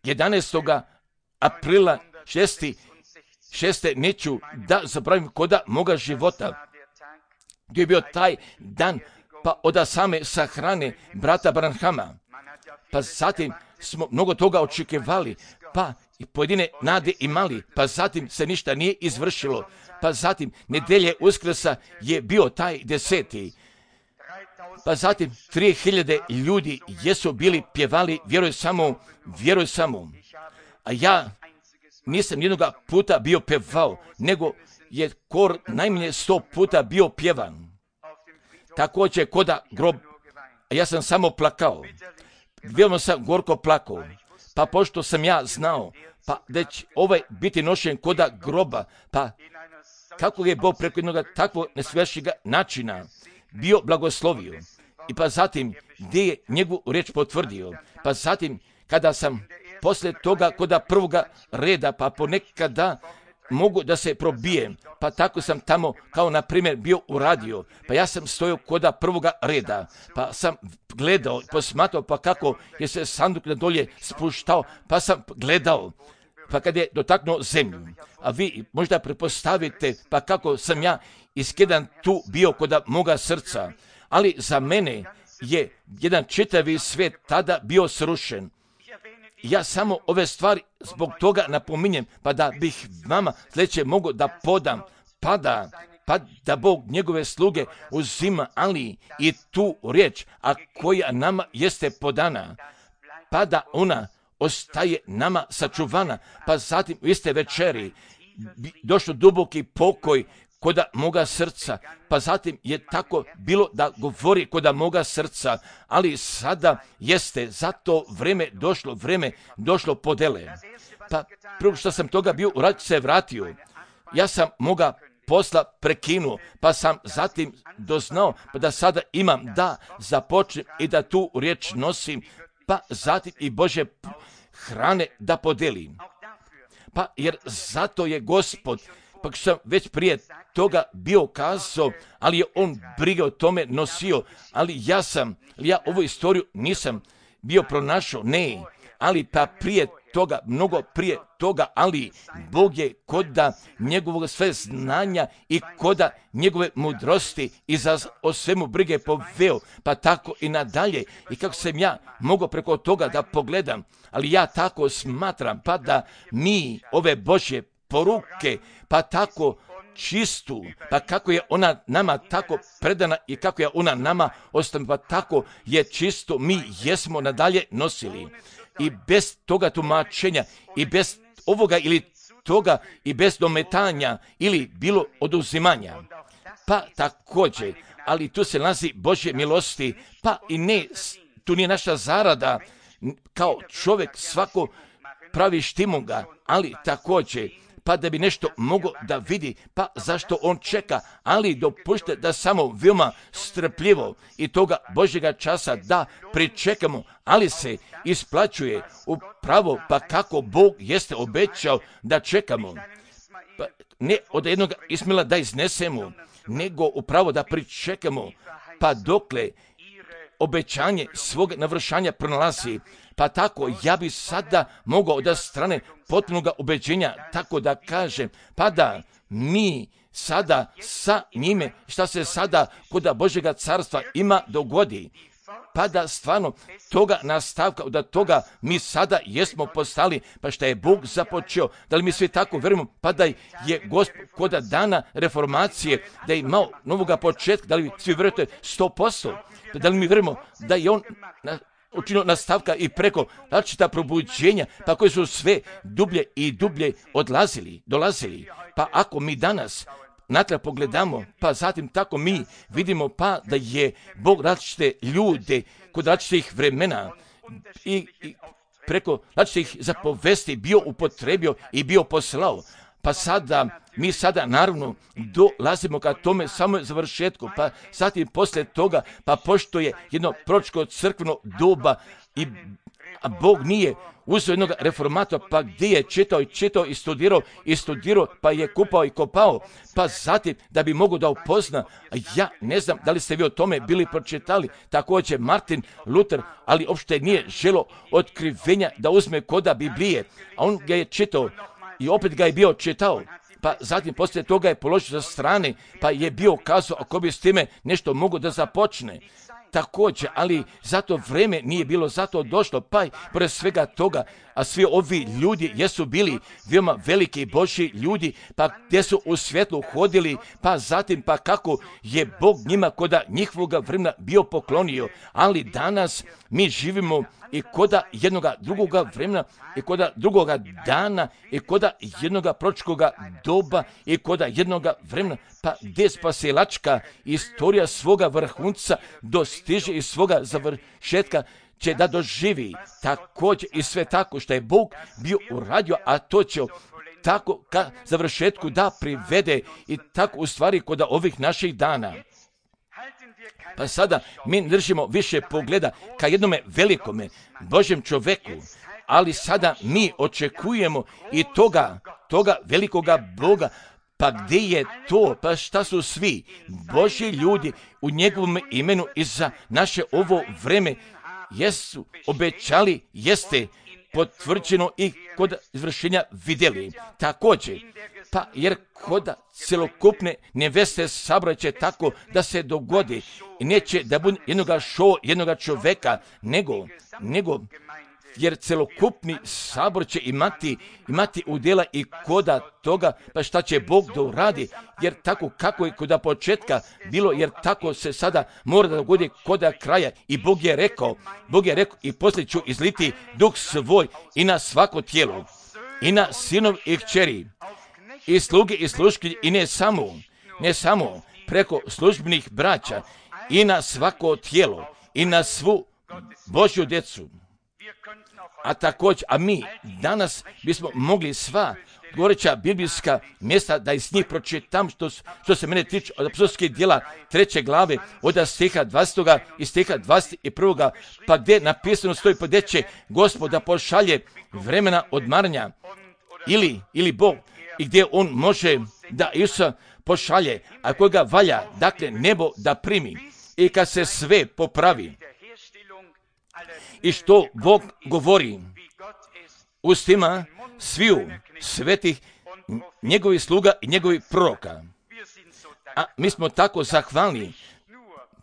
jedanaestog aprila šezdeset šeste neću da zaboravim koda moga života, gdje je bio taj dan, pa od same sahrane brata Branhama. Pa zatim smo mnogo toga očekivali, pa i pojedine nade imali, pa zatim se ništa nije izvršilo. Pa zatim nedelje Uskrsa je bio taj deseti. Pa zatim tri hiljade ljudi jesu bili pjevali vjeruj samo, vjeruj samo. A ja nisam jednoga puta bio pjevao, nego je kor najmanje sto puta bio pjevan. Također koda grob, a ja sam samo plakao. Veoma sam gorko plakao. Pa pošto sam ja znao, pa da će ovaj biti nošen koda groba, pa kako je Bog preko jednog takvog nesvešćega načina bio blagoslovio. I pa zatim gdje je njegovu riječ potvrdio. Pa zatim kada sam poslije toga koda prvoga reda, pa ponekada mogu da se probijem, pa tako sam tamo kao na primjer bio u radio, pa ja sam stojao koda prvoga reda, pa sam gledao, posmatrao pa kako je se sanduk na dolje spuštao, pa sam gledao, pa kad je dotaknuo zemlju, a vi možda pretpostavite pa kako sam ja iskedan tu bio koda moga srca, ali za mene je jedan čitavi svijet tada bio srušen. Ja samo ove stvari zbog toga napominjem, pa da bih vama sljedeće mogu da podam, pa da, pa da Bog njegove sluge uzima, ali i tu riječ, a koja nama jeste podana, pa da ona ostaje nama sačuvana, pa zatim u iste večeri došlo duboki pokoj koda moga srca, pa zatim je tako bilo da govori koda moga srca, ali sada jeste za to vrijeme došlo, vrijeme došlo podele. Pa prvo što sam toga bio uradio se vratio, ja sam moga posla prekinuo, pa sam zatim doznao pa da sada imam da započnem i da tu riječ nosim, pa zatim i Božje hrane da podelim. Pa jer zato je Gospod, pa što sam već prije toga bio kazao, ali je on brige o tome nosio, ali ja sam, ja ovu istoriju nisam bio pronašao, ne, ali pa prije toga, mnogo prije toga, ali Bog je koda njegovog sve znanja i koda njegove mudrosti i za o svemu brige poveo, pa tako i nadalje. I kako sam ja mogao preko toga da pogledam, ali ja tako smatram, pa da mi ove Božje poruke, pa tako čistu, pa kako je ona nama tako predana i kako je ona nama ostala, pa tako je čisto mi jesmo nadalje nosili. I bez toga tumačenja, i bez ovoga ili toga, i bez dometanja ili bilo oduzimanja. Pa također, ali tu se nalazi Božje milosti, pa i ne, tu nije naša zarada, kao čovjek svako pravi štimunga, ali također, pa da bi nešto mogo da vidi, pa zašto on čeka, ali dopušte da samo veoma strpljivo i toga Božjega časa da pričekamo, ali se isplaćuje upravo pa kako Bog jeste obećao da čekamo. Pa ne od jednog Ismila da iznesemo, nego upravo da pričekamo, pa dokle obećanje svog navršanja pronalazi, Pa tako, ja bi sada mogao od strane potpunog ubeđenja tako da kažem, pa da mi sada sa njime, šta se sada kod Božjega carstva ima dogodi, pa da stvarno toga nastavka, da toga mi sada jesmo postali, pa šta je Bog započeo, da li mi svi tako vjerujemo, pa da je Gospod kod dana reformacije, da je imao novoga početka, da li svi vjerujete sto posto, da li mi vjerujemo da je on na, učinio nastavka i preko različita probuđenja, pa koji su sve dublje i dublje odlazili, dolazili, pa ako mi danas natrag pogledamo, pa zatim tako mi vidimo pa da je Bog različite ljude kod različitih vremena i, i preko različitih zapovesti bio upotrebio i bio poslao. Pa sada, mi sada naravno dolazimo ka tome samo završetku, pa zatim poslije toga, pa pošto je jedno proročko crkveno doba i a Bog nije uzeo jednog reformatora, pa gdje je čitao i čitao i studirao i studirao, pa je kupao i kopao, pa zatim da bi mogu da upozna, ja ne znam da li ste vi o tome bili pročitali, također Martin Luther, ali uopšte nije želo otkrivenja da uzme koda Biblije, a on ga je čitao i opet ga je bio čitao, pa zatim poslije toga je položio sa strane, pa je bio kazao ako bi s time nešto mogu da započne. Također, ali zato vreme nije bilo zato došlo, pa i pored svega toga, a svi ovi ljudi jesu bili veoma veliki Božji ljudi, pa gdje su u svjetlu hodili, pa zatim pa kako je Bog njima koda njihovoga vremena bio poklonio, ali danas mi živimo i koda jednoga drugoga vremena, i koda drugoga dana, i koda jednoga proročkoga doba, i koda jednoga vremena, pa gdje spasilačka istorija svoga vrhunca dostiže i svoga završetka će da doživi također i sve tako što je Bog bio uradio, a to će tako ka završetku da privede i tako u stvari kod ovih naših dana. Pa sada mi držimo više pogleda ka jednome velikome Božjem čoveku, ali sada mi očekujemo i toga, toga velikoga Boga. Pa gdje je to? Pa šta su svi Božji ljudi u njegovom imenu i za naše ovo vreme jesu obećali, jeste potvrđeno i kod izvršenja vidjeli. Također, pa jer kod celokupne neveste sabora će tako da se dogodi i neće da bude jednoga šova, jednoga čoveka, nego, nego jer celokupni sabor će imati, imati udjela i koda toga, pa šta će Bog da uradi, jer tako kako je koda početka bilo, jer tako se sada mora da dogodi koda kraja. I Bog je rekao, Bog je rekao i poslije ću izliti duh svoj i na svako tijelo, i na sinov i kćeri, i sluge i sluškinje, i ne samo, ne samo preko službenih braća, i na svako tijelo, i na svu Božju djecu. A također, a mi danas bismo mogli sva govoreća biblijska mjesta da iz njih pročitam što, što se mene tiče od apostolskih djela treće glave od stiha dvadesetoga i stiha dvadeset prvoga, pa gdje napisano stoji pa gdje će Gospod da pošalje vremena odmaranja ili, ili Bog i gdje on može da Isusa pošalje, a koga valja, dakle nebo da primi i kad se sve popravi. I što Bog govori ustima sviju svetih njegovih sluga i njegovih proroka. A mi smo tako zahvalni,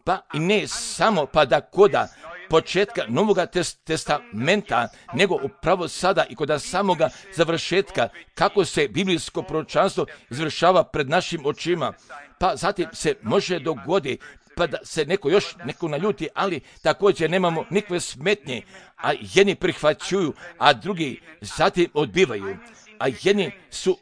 pa i ne samo pa da koda početka Novoga testamenta, nego upravo sada i kod samoga završetka, kako se biblijsko proročanstvo izvršava pred našim očima, pa zatim se može dogoditi pa da se neko još neko naljuti, ali također nemamo nikakve smetnje, a jedni prihvaćuju, a drugi zatim odbivaju, a jedni su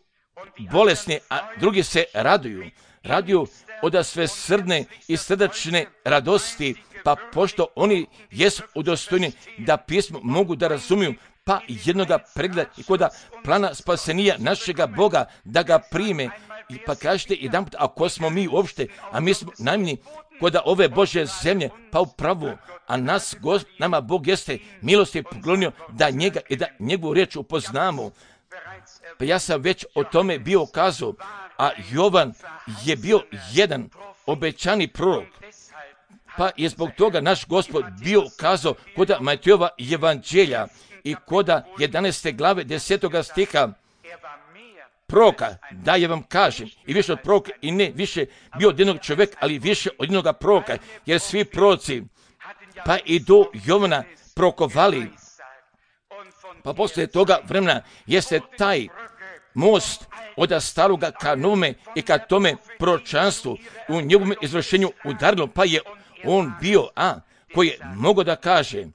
bolesni, a drugi se raduju, raduju od sve srdne i srdačne radosti, pa pošto oni jesu udostojni da pismo mogu da razumiju, pa jednoga pregleda i koda plana spasenija našega Boga da ga prime. I pa kažete jedan put, ako smo mi uopšte, a mi smo najmni koda ove Božje zemlje, pa upravo, a nas, Gos, nama Bog jeste milosti poklonio da njega i da njegovu riječ upoznamo. Pa ja sam već o tome bio kazao, a Jovan je bio jedan obećani prorok. Pa je zbog toga naš Gospod bio kazao kod Matejova evanđelja i kod jedanaeste glave desetoga stiha proroka, da je vam kažem, i više od proroka, i ne više bio od jednog čovjeka, ali više od jednog proroka, jer svi proroci, pa i do Jovana prorokovali. Pa poslije toga vremena jeste taj most od staroga ka novome i ka tome proročanstvu u njegovom izvršenju udarilo, pa je on bio, a koji je mogao da kaže,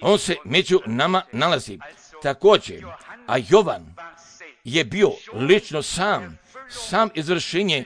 on se među nama nalazi. Također, a Jovan je bio lično sam, sam izvršenje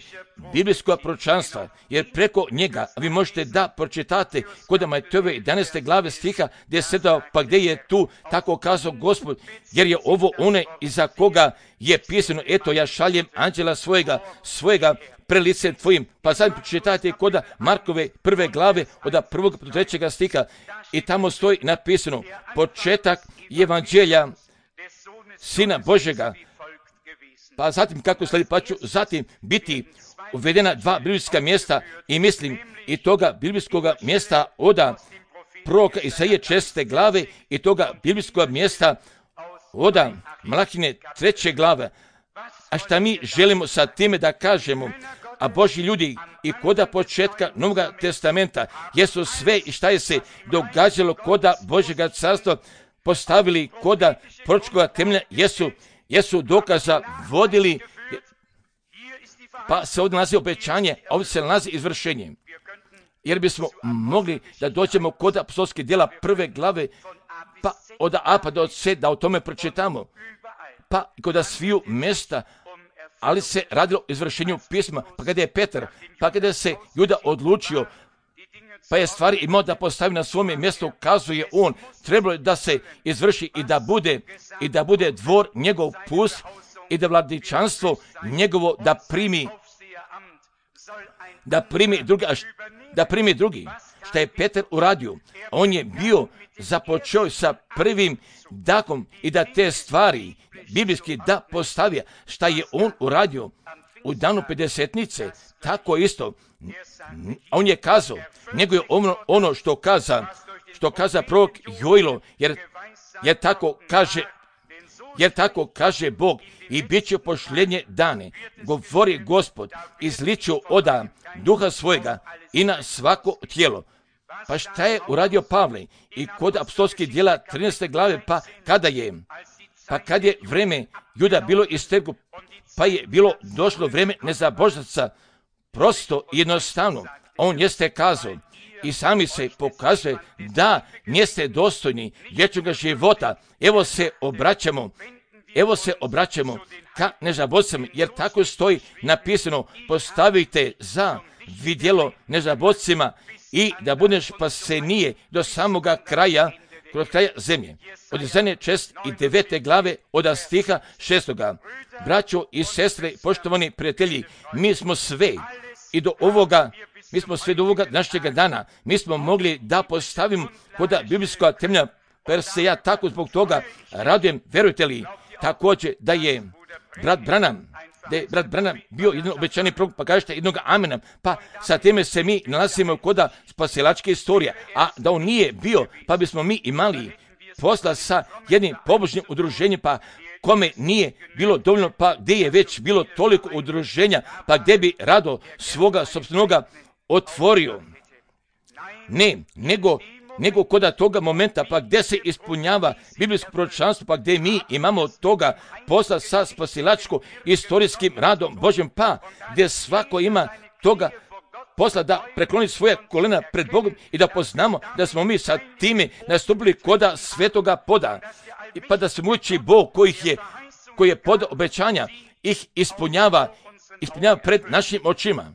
biblijskog proročanstva, jer preko njega vi možete da pročitate kod Matejove jedanaeste glave stiha desetog, pa gdje je tu tako kazao Gospod, jer je ovo one iza koga je pisano, eto ja šaljem anđela svojega, svojega pre lice tvojim. Pa sad pročitajte kod Markove prve glave od prvog do trećega stiha i tamo stoji napisano početak evanđelja Sina Božjega. Pa zatim kako slijedi, pa ću zatim biti uvedena dva biblijska mjesta i mislim i toga biblijskog mjesta od proroka Isaije četrnaeste glave i toga biblijskog mjesta od Malahine treće glave. A šta mi želimo sa time da kažemo, a Božji ljudi i koda početka Novog testamenta jesu sve i šta je se događalo koda Božjega carstva postavili koda proročkoga temelja, jesu jesu dokaza vodili, pa se ovdje nalazi obećanje, a ovdje se nalazi izvršenje. Jer bismo mogli da dođemo kod apostolskih djela prve glave, pa od A pa do C, da o tome pročitamo, pa kod sviju mjesta, ali se radilo o izvršenju pisma, pa kada je Petar, pa kada se Juda odlučio, pa je stvari imao da postavi na svome mjestu, kazuje on, trebalo je da se izvrši i da bude, i da bude dvor njegov pust i da vladičanstvo njegovo da primi, da primi drugi, da primi drugi. Šta je Petar uradio? On je bio započeo sa prvim dakom i da te stvari biblijski da postavija. Šta je on uradio? U danu pedesetnice, tako isto, on je kazao, nego je ono, ono što kaza, što kaza prorok Joilo, jer, jer tako kaže, jer tako kaže Bog, i bit će pošljenje dane, govori Gospod, izličio oda duha svojega i na svako tijelo. Pa šta je uradio Pavle? I kod apostolskih djela trinaeste glave, pa kada je, pa kad je vreme Juda bilo isteklo, pa je bilo došlo vreme nezabožnaca, prosto i jednostavno, on jeste kazao i sami se pokazuje da niste dostojni vječnog života. Evo se obraćamo, evo se obraćamo ka nezabožcima, jer tako stoji napisano, postavite za vidjelo nezabožcima i da budeš spasenije do samoga kraja, kroz kraja zemlje. Od Izaije četrnaeste i devete glave od stiha šestoga. Braćo i sestre, poštovani prijatelji, mi smo sve i do ovoga, mi smo sve do ovoga našega dana, mi smo mogli da postavimo kod biblijskog temelja, per se ja tako zbog toga radujem, verujte li, također da je brat Branham, da je brat Branham bio jedan obećani prorok, pa kažete jednog amena, pa sa time se mi nalazimo kod spasilačke istorije, a da on nije bio, pa bismo mi imali posla sa jednim pobožnim udruženjem, pa kome nije bilo dovoljno, pa gdje je već bilo toliko udruženja, pa gdje bi rado svoga sopstvenoga otvorio. Ne, nego, nego kod toga momenta, pa gdje se ispunjava biblijsko proročanstvo, pa gdje mi imamo toga posla sa spasilačko istorijskim radom Božjem, pa gdje svako ima toga posla da prekloni svoje kolena pred Bogom i da poznamo da smo mi sa time nastupili koda svetoga poda. I pa da se muči Bog koji je, koji je pod obećanja ih ispunjava, ispunjava pred našim očima.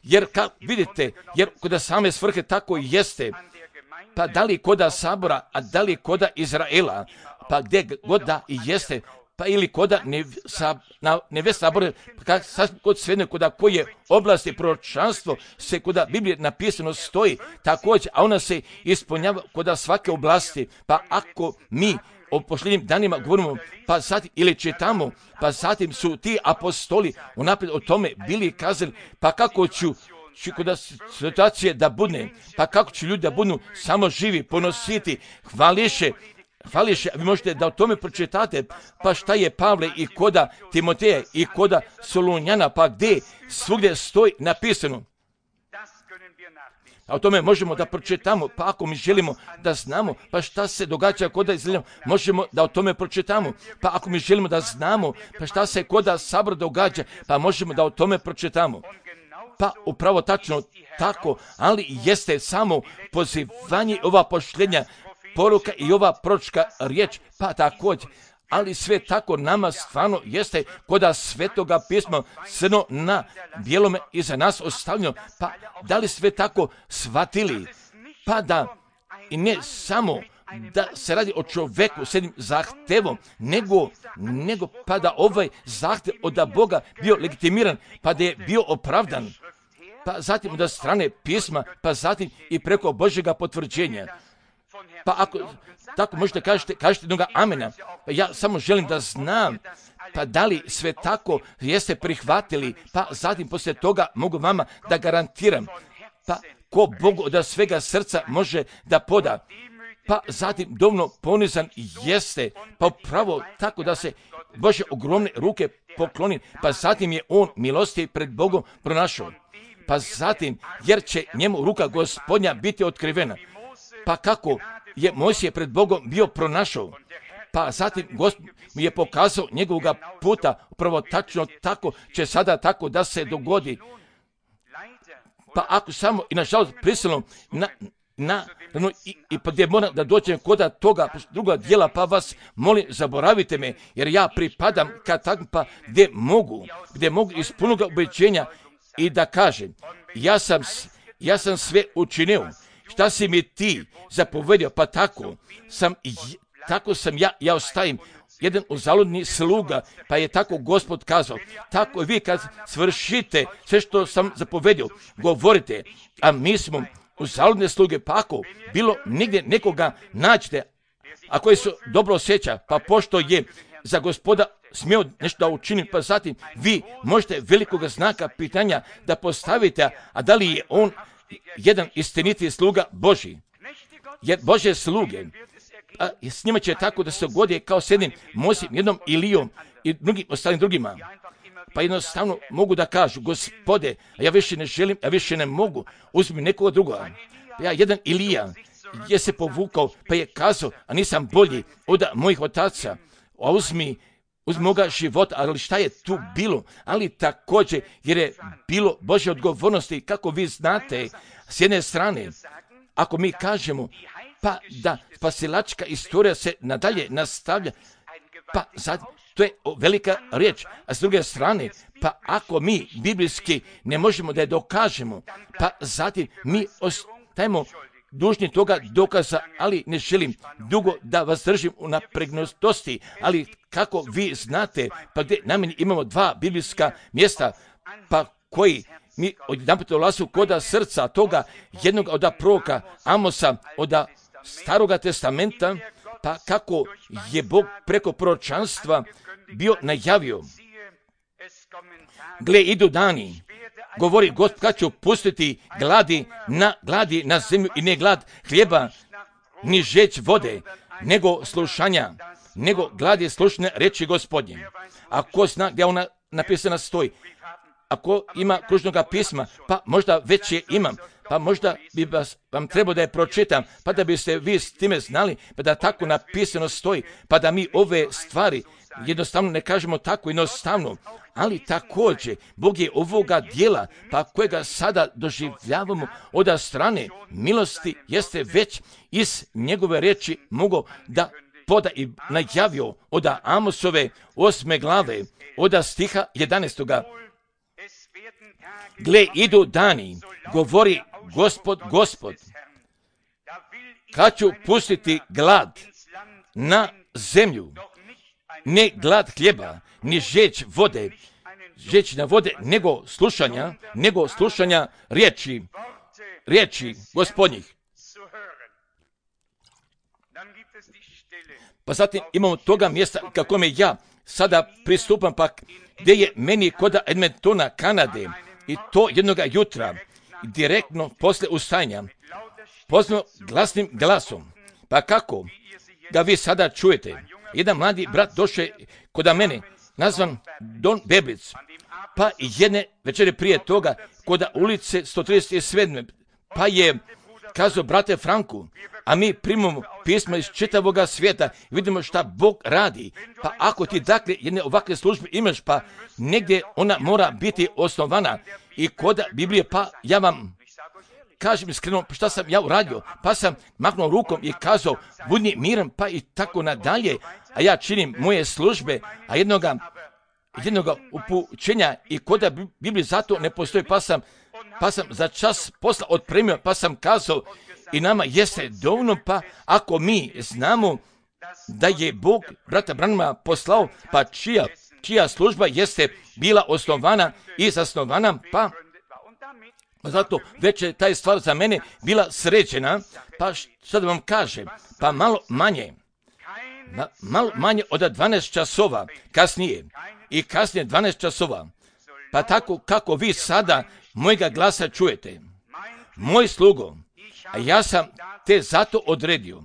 Jer kao vidite, jer kod same svrhe tako i jeste, pa da li koda sabora, a da li koda Izraela, pa gdje god da i jeste, pa ili koda ne, sa, na, neve sabore, pa kod svedne koda koje oblasti proročanstvo se koda Biblije napisano stoji također, a ona se ispunjava koda svake oblasti, pa ako mi o posljednjim danima govorimo, pa zatim ili čitamo, pa zatim su ti apostoli unaprijed o tome bili kazali, pa kako ću će kod situacije da bude, pa kako će ljudi da budu samo živi, ponositi, hvališe, hvališe, vi možete da o tome pročitate, pa šta je Pavle i koda Timoteja i koda Solunjana, pa gdje svugdje stoji napisano. A o tome možemo da pročitamo, pa ako mi želimo da znamo, pa šta se događa koda Izraelja, možemo da o tome pročitamo. Pa ako mi želimo da znamo, pa šta se koda Sabor događa, pa možemo da o tome pročitamo. Pa upravo tačno tako, ali jeste samo pozivanje ova pošljenja poruka i ova proročka riječ, pa također. Ali sve tako nama stvarno jeste koda Svetoga pisma crno na bijelome iza nas ostavljeno. Pa da li sve tako shvatili? Pa da i ne samo da se radi o čovjeku s jednim zahtevom, nego, nego pa da ovaj zahtev od Boga bio legitimiran, pa da je bio opravdan. Pa zatim od strane pisma, pa zatim i preko Božjega potvrđenja. Pa ako tako možete kažete, kažete jednoga amena, pa ja samo želim da znam, pa da li sve tako jeste prihvatili, pa zatim poslije toga mogu vama da garantiram, pa ko Bogu od svega srca može da poda, pa zatim dovoljno ponizan jeste, pa upravo tako da se Bože ogromne ruke pokloni, pa zatim je on milosti pred Bogom pronašao, pa zatim jer će njemu ruka Gospodnja biti otkrivena, pa kako je Mojsije pred Bogom bio pronašao, pa zatim Gospod mi je pokazao njegovog puta, upravo tačno tako će sada tako da se dogodi. Pa ako samo i nažalost prisilno na, na, no, i, i pa gdje moram da dođem koda toga druga dijela, pa vas molim zaboravite me, jer ja pripadam kad tako pa gdje mogu, gdje mogu iz punog ubeđenja i da kažem, ja sam, ja sam sve učinio. Šta si mi ti zapovedio, pa tako sam, tako sam ja, ja ostavim jedan uzaludni sluga, pa je tako Gospod kazao, tako vi kad svršite sve što sam zapovedio, govorite, a mi smo uzaludne sluge, pa ako bilo nigdje nekoga nađete, a koji se dobro osjeća, pa pošto je za Gospoda smio nešto da učini, pa zatim vi možete velikoga znaka pitanja da postavite, a da li je on jedan istiniti sluga Božji. Jer Božje sluge, a s njima će tako da se godi kao s jednim Mojsijem, jednom Ilijom i drugim, ostalim drugima. Pa jednostavno mogu da kažu, Gospode, ja više ne želim, ja više ne mogu, uzmi nekoga drugoga. Pa ja jedan Ilija je se povukao, pa je kazao, a nisam bolji od mojih otaca, a uzmi uz moga života, ali šta je tu bilo? Ali također, jer je bilo Božje odgovornosti, kako vi znate, s jedne strane, ako mi kažemo, pa da spasilačka istorija se nadalje nastavlja, pa sad, to je velika riječ, a s druge strane, pa ako mi biblijski ne možemo da je dokažemo, pa zatim mi ostajemo dužni toga dokaza, ali ne želim dugo da vas držim u napregnutosti, ali kako vi znate, pa gdje na meni imamo dva biblijska mjesta, pa koji mi odjedanput ulazu koda srca toga jednog od proroka Amosa, od Staroga testamenta, pa kako je Bog preko proročanstva bio najavio. Gle, idu dani, govori Gospod, kad ću pustiti gladi na, gladi na zemlju i ne glad hljeba, ni žeć vode, nego slušanja, nego glad je slušne reči Gospodnje. A ko zna gdje ona napisana stoji? Ako ima kružnoga pisma, pa možda već je imam, pa možda bi vas, vam trebao da je pročitam, pa da biste vi s time znali, pa da tako napisano stoji, pa da mi ove stvari jednostavno ne kažemo tako jednostavno, ali također Bog je ovoga dijela, pa kojega sada doživljavamo od strane milosti, jeste već iz njegove riječi mogao da poda i najavio od Amosove osme glave, od stiha jedanaestoga. Gle, idu dani, govori Gospod, Gospod, kad ću pustiti glad na zemlju, ne glad hljeba, ni žeć vode, žeć na vode, nego slušanja, nego slušanja riječi, riječi Gospodnjih. Pa zatim imamo toga mjesta kako me ja sada pristupam, pa gdje je meni kod Edmontona, Kanade, i to jednoga jutra, direktno posle ustajanja, pozvano glasnim glasom. Pa kako ga vi sada čujete? Jedan mladi brat došao kod mene, nazvan Don Beblic, pa jedne večere prije toga, kod ulice sto trideset sedam, pa je kazao, brate Franku, a mi primamo pisma iz čitavoga svijeta i vidimo šta Bog radi. Pa ako ti dakle jedne ovakve službe imaš, pa negdje ona mora biti osnovana i kod Biblije, pa ja vam kažem iskreno šta sam ja uradio, pa sam maknuo rukom i kazao, budi miran, pa i tako nadalje, a ja činim moje službe, a jednoga, jednoga upućenja i kod Biblije zato ne postoji, pa sam, pa sam za čas posla otpremio, pa sam kazao, i nama jeste dovoljno, pa ako mi znamo da je Bog brata Branhama poslao, pa čija, čija služba jeste bila osnovana i zasnovana, pa zato već je taj stvar za mene bila sređena, pa što da vam kažem, pa malo manje, ma, malo manje od dvanaest časova kasnije i kasnije dvanaest časova, pa tako kako vi sada mojega glasa čujete, moj slugo, a ja sam te zato odredio.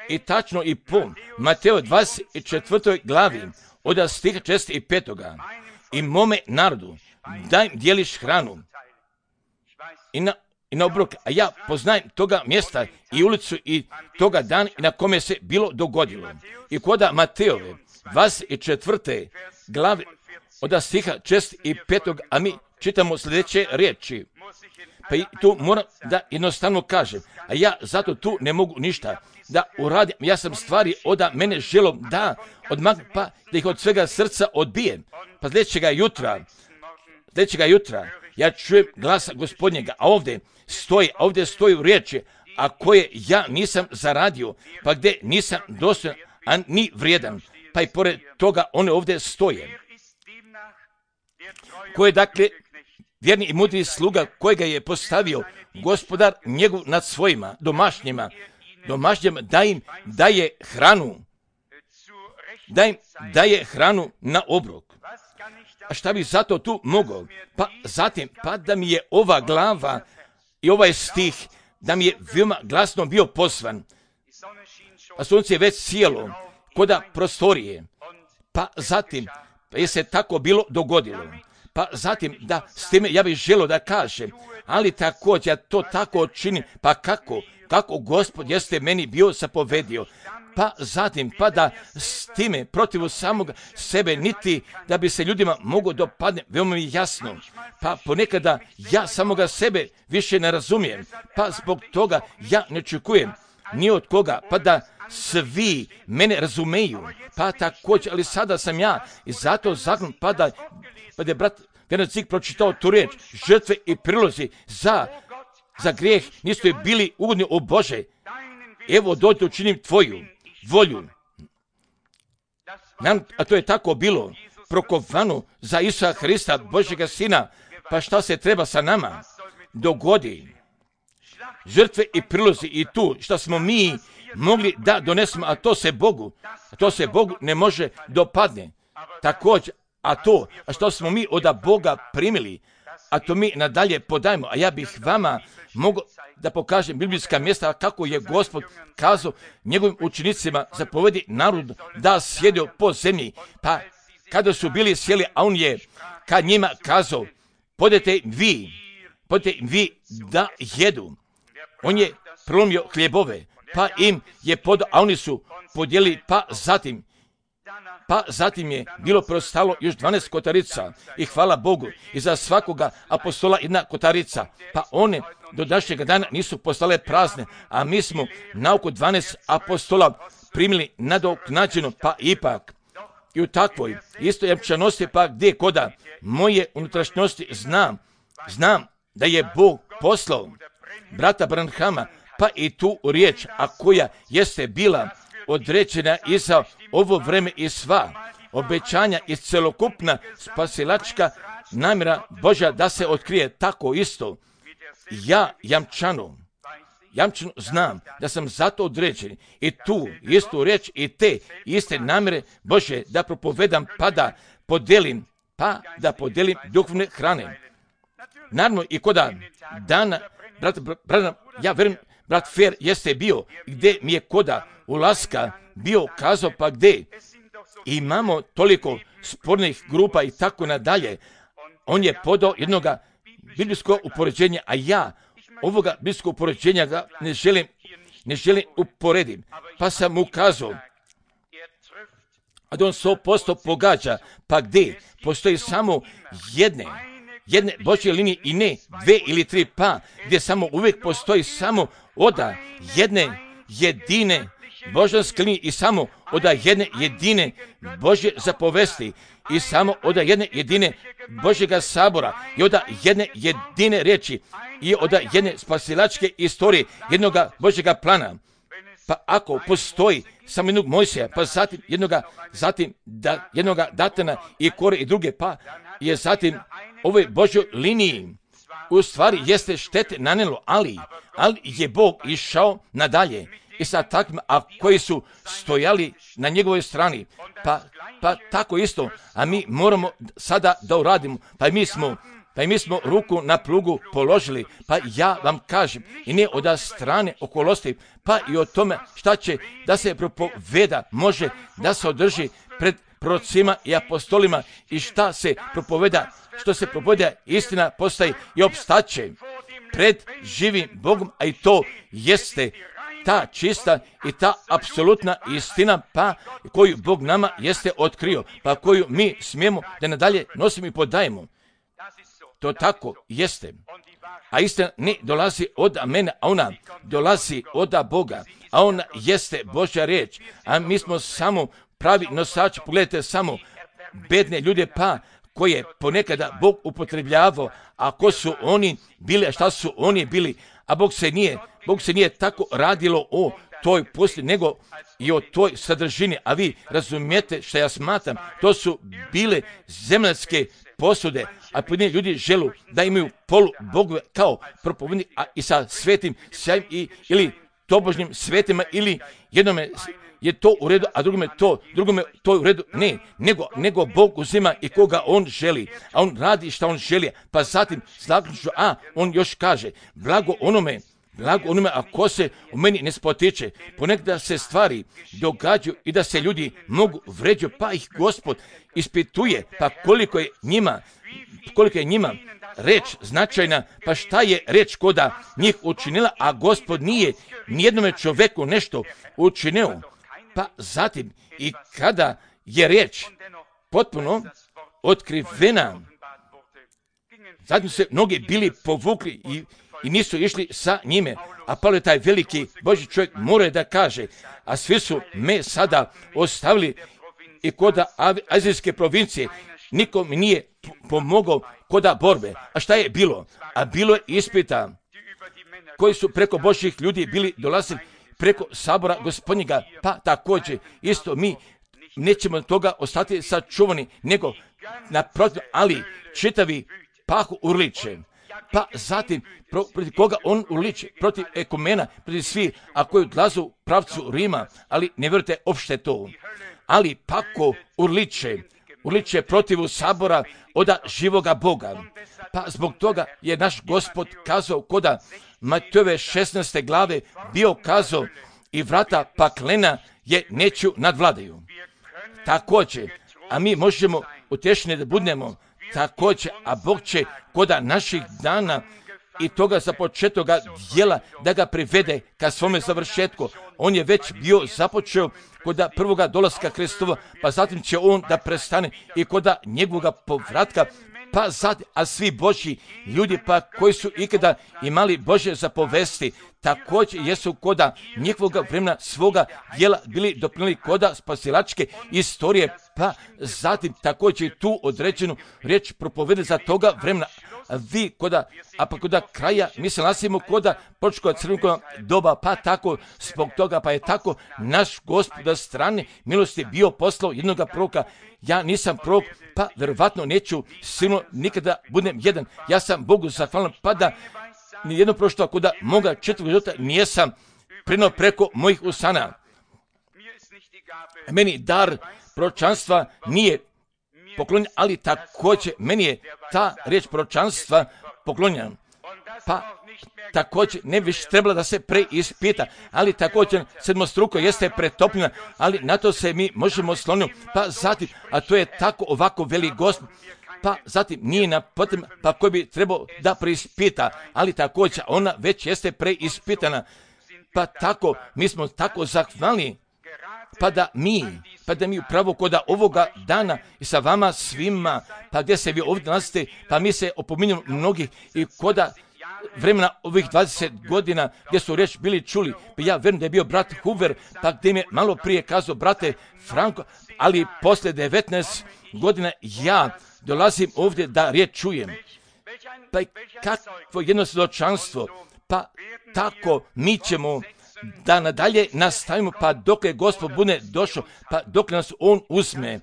I tačno i po Mateo dvadeset četvrtoj glavi od stiha četrdeset pet. I mome narodu daj dijeliš hranu i na, i na obrok, a ja poznajem toga mjesta i ulicu i toga dana i na kome se bilo dogodilo. I koda Mateove dvadeset četvrte glave od stiha četrdeset pet. A mi čitamo sljedeće riječi. Pa i tu moram da jednostavno kažem, a ja zato tu ne mogu ništa da uradim. Ja sam stvari oda mene želo da odmah, pa da ih od svega srca odbijem. Pa sljedećega jutra, sljedećega jutra, ja čujem glasa Gospodnjega, a ovdje stoji, a ovdje stoji u riječi, a koje ja nisam zaradio, pa gdje nisam dostojan, a ni vrijedan. Pa i pored toga one ovdje stoje. Koje dakle vjerni i mudri sluga kojega je postavio gospodar njegov nad svojima domašnjima, domašnjima da im daje hranu, da im daje hranu na obrok. A šta bi zato tu mogao? Pa zatim, pa da mi je ova glava i ovaj stih, da mi je veoma glasno bio poslan, a sunce je već sjelo koda prostorije, pa zatim, pa je se tako bilo dogodilo. Pa zatim, da, s time ja bih želio da kažem, ali također ja to tako činim, pa kako, kako Gospod jeste meni bio zapovedio, pa zatim, pa da s time protiv samog sebe, niti da bi se ljudima mogo dopadne, veoma mi jasno, pa ponekada ja samoga sebe više ne razumijem, pa zbog toga ja ne očekujem ni od koga, pa da svi mene razumeju, pa također, ali sada sam ja i zato zakon, pa da pa da je brat Vernacik pročitao tu riječ, žrtve i prilozi za, za grijeh nisu bili ugodni u Bože. Evo dođe učinim tvoju volju. Nam, a to je tako bilo prokovano za Isusa Hrista, Božjega Sina, pa šta se treba sa nama dogodi? Žrtve i prilozi i tu što smo mi mogli da donesemo, a to se Bogu, a to se Bogu ne može dopadne. Također, a to, a što smo mi od Boga primili, a to mi nadalje podajemo, a ja bih vama mogao da pokažem biblijska mjesta kako je Gospod kazao njegovim učenicima zapovedi narodu da sjedio po zemlji, pa kada su bili sjeli, a on je kad njima kazao, podete vi, podete vi da jedu. On je prelomio hljebove, pa im je podao, a oni su podijelili, pa zatim, Pa zatim je bilo preostalo još dvanaest kotarica i hvala Bogu i za svakoga apostola jedna kotarica. Pa one do današnjega dana nisu postale prazne, a mi smo na oko dvanaest apostola primili nadoknađeno, pa ipak i u takvoj isto jamčanosti, pa gdje koda moje unutrašnjosti znam, znam da je Bog poslao brata Branhama, pa i tu riječ, a koja jeste bila određena i za ovo vreme i sva obećanja i celokupna spasilačka namjera Božja da se otkrije tako isto. Ja jamčano, jamčano znam da sam zato određen i tu istu riječ i te iste namjere Božje da propovedam, pa da podelim, pa da podelim duhovne hrane. naravno i koda dana, brat, brat, brat, ja verujem, brat Fer jeste bio, gdje mi je koda ulaska bio kazao, pa gdje imamo toliko spornih grupa i tako nadalje. On je podao jednoga biblijskog upoređenja, a ja ovoga biblijskog upoređenja ga ne želim, ne želim uporedim. Pa sam mu kazao, a da on sto posto pogađa, pa gdje postoji samo jedne, jedne Božje linije i ne dve ili tri, pa gdje samo uvijek postoji samo oda jedne jedine božanske linije i samo oda jedne jedine Božje zapovesti i samo oda jedne jedine Božjega sabora i oda jedne jedine riječi i oda jedne spasilačke istorije, jednoga Božjega plana. Pa ako postoji samo jednog Mojsija, pa zatim jednoga, zatim da, jednoga Datana i Kore i druge, pa je zatim ovoj Božjoj liniji u stvari jeste štete nanelo, ali, ali je Bog išao nadalje i sa takvima, a koji su stojali na njegovoj strani, pa, pa tako isto, a mi moramo sada da uradimo, pa mi smo Pa i mi smo ruku na plugu položili, pa ja vam kažem, i ne od strane okolosti, pa i o tome šta će da se propoveda, može da se održi pred prorocima i apostolima i šta se propoveda, što se propoveda istina postaje i opstaće pred živim Bogom, a i to jeste ta čista i ta apsolutna istina, pa koju Bog nama jeste otkrio, pa koju mi smijemo da nadalje nosimo i podajemo. To tako jeste. A istina ne dolazi od mene, a ona dolazi od Boga, a ona jeste Božja riječ, a mi smo samo pravi nosači. Pogledajte samo bedne ljude, pa koje ponekada Bog upotrebljavao, a ko su oni bili, a šta su oni bili, a Bog se nije, Bog se nije tako radilo o toj pustinji, nego i o toj sadržini, a vi razumijete što ja smatram, to su bile zemaljske posude, a pojedini ljudi želu da imaju polu bogove kao propovednik, a i sa svetim sjajem i, ili tobožnjim svetima, ili jednome je to u redu, a drugome to, drugome to je u redu. Ne, nego, nego Bog uzima i koga on želi, a on radi šta on želi, pa zatim zaključno, a on još kaže, blago onome, blago onome, a ko se u meni ne spotiče, ponekada se stvari događaju i da se ljudi mogu vređati, pa ih Gospod ispituje, pa koliko je njima, koliko je njima reč značajna, pa šta je reč koda njih učinila, a Gospod nije nijednome čoveku nešto učinio. Pa zatim i kada je reč potpuno otkrivena, zatim se mnogi bili povukli i, i nisu išli sa njime, a Pavle taj veliki Božji čovjek mora da kaže, a svi su me sada ostavili i koda azijske provincije, niko mi nije pomogao koda borbe. A šta je bilo? A bilo je ispita koji su preko Božjih ljudi bili dolazili preko sabora Gospodnjega, pa također isto mi nećemo toga ostati sačuvani, nego naprotiv, ali čitavi pahu urliče. Pa zatim, pro, protiv koga on urliče? Protiv ekumena, protiv svih, a koji odlazu u pravcu Rima, ali ne vjerujte opšte to. Ali pako urliče, urliče protiv sabora oda živoga Boga. Pa zbog toga je naš Gospod kazao koda Matejove šesnaeste glave bio kazao i vrata paklena je neću nadvladaju. Također, a mi možemo utješeni da budemo također, a Bog će koda naših dana i toga započetoga djela da ga privede ka svome završetku. On je već bio započeo koda prvoga dolaska Kristova, pa zatim će on da prestane i koda njegovoga povratka, pa zatim, a svi Božji ljudi pa koji su ikada imali Božje zapovesti, također jesu koda njihovoga vremena svoga djela bili doprinijeli koda spasilačke istorije, pa zatim također tu određenu riječ propovedali za toga vremena. A vi koda, a pa koda kraja, mi se nalazimo koda početka crvenog doba, pa tako, zbog toga, pa je tako naš Gospod od strane milosti bio poslao jednoga proroka. Ja nisam prorok, pa verovatno neću sigurno nikada budem jedan. Ja sam Bogu zahvalan, pa da nijedno prošto koda moga četvrog života nijesam prenio preko mojih usana. Meni dar proročanstva nije poklonjen, ali također meni je ta riječ proročanstva poklonjena. Pa također ne bi trebala da se preispita, ali također sedmostruko jeste pretopljena, ali na to se mi možemo sloniti. Pa zatim, a to je tako ovako veli Gospod, pa zatim nije na potrebno, pa koji bi trebao da preispita, ali također ona već jeste preispitana. Pa tako, mi smo tako zahvalni, pa da mi, pa da mi upravo koda ovoga dana i sa vama svima, pa gdje se vi ovdje nalazite, pa mi se opominjamo mnogih i koda vremena ovih dvadeset godina gdje su riječ bili čuli, pa ja vjerujem da je bio brat Hoover, pa gdje mi je malo prije kazao brate Franko, ali posle devetnaest godina ja dolazim ovdje da riječ čujem. Pa kakvo jedno svjedočanstvo, pa tako mi ćemo da nadalje nastavimo, pa dok je Gospod bude došao, pa dok nas On uzme.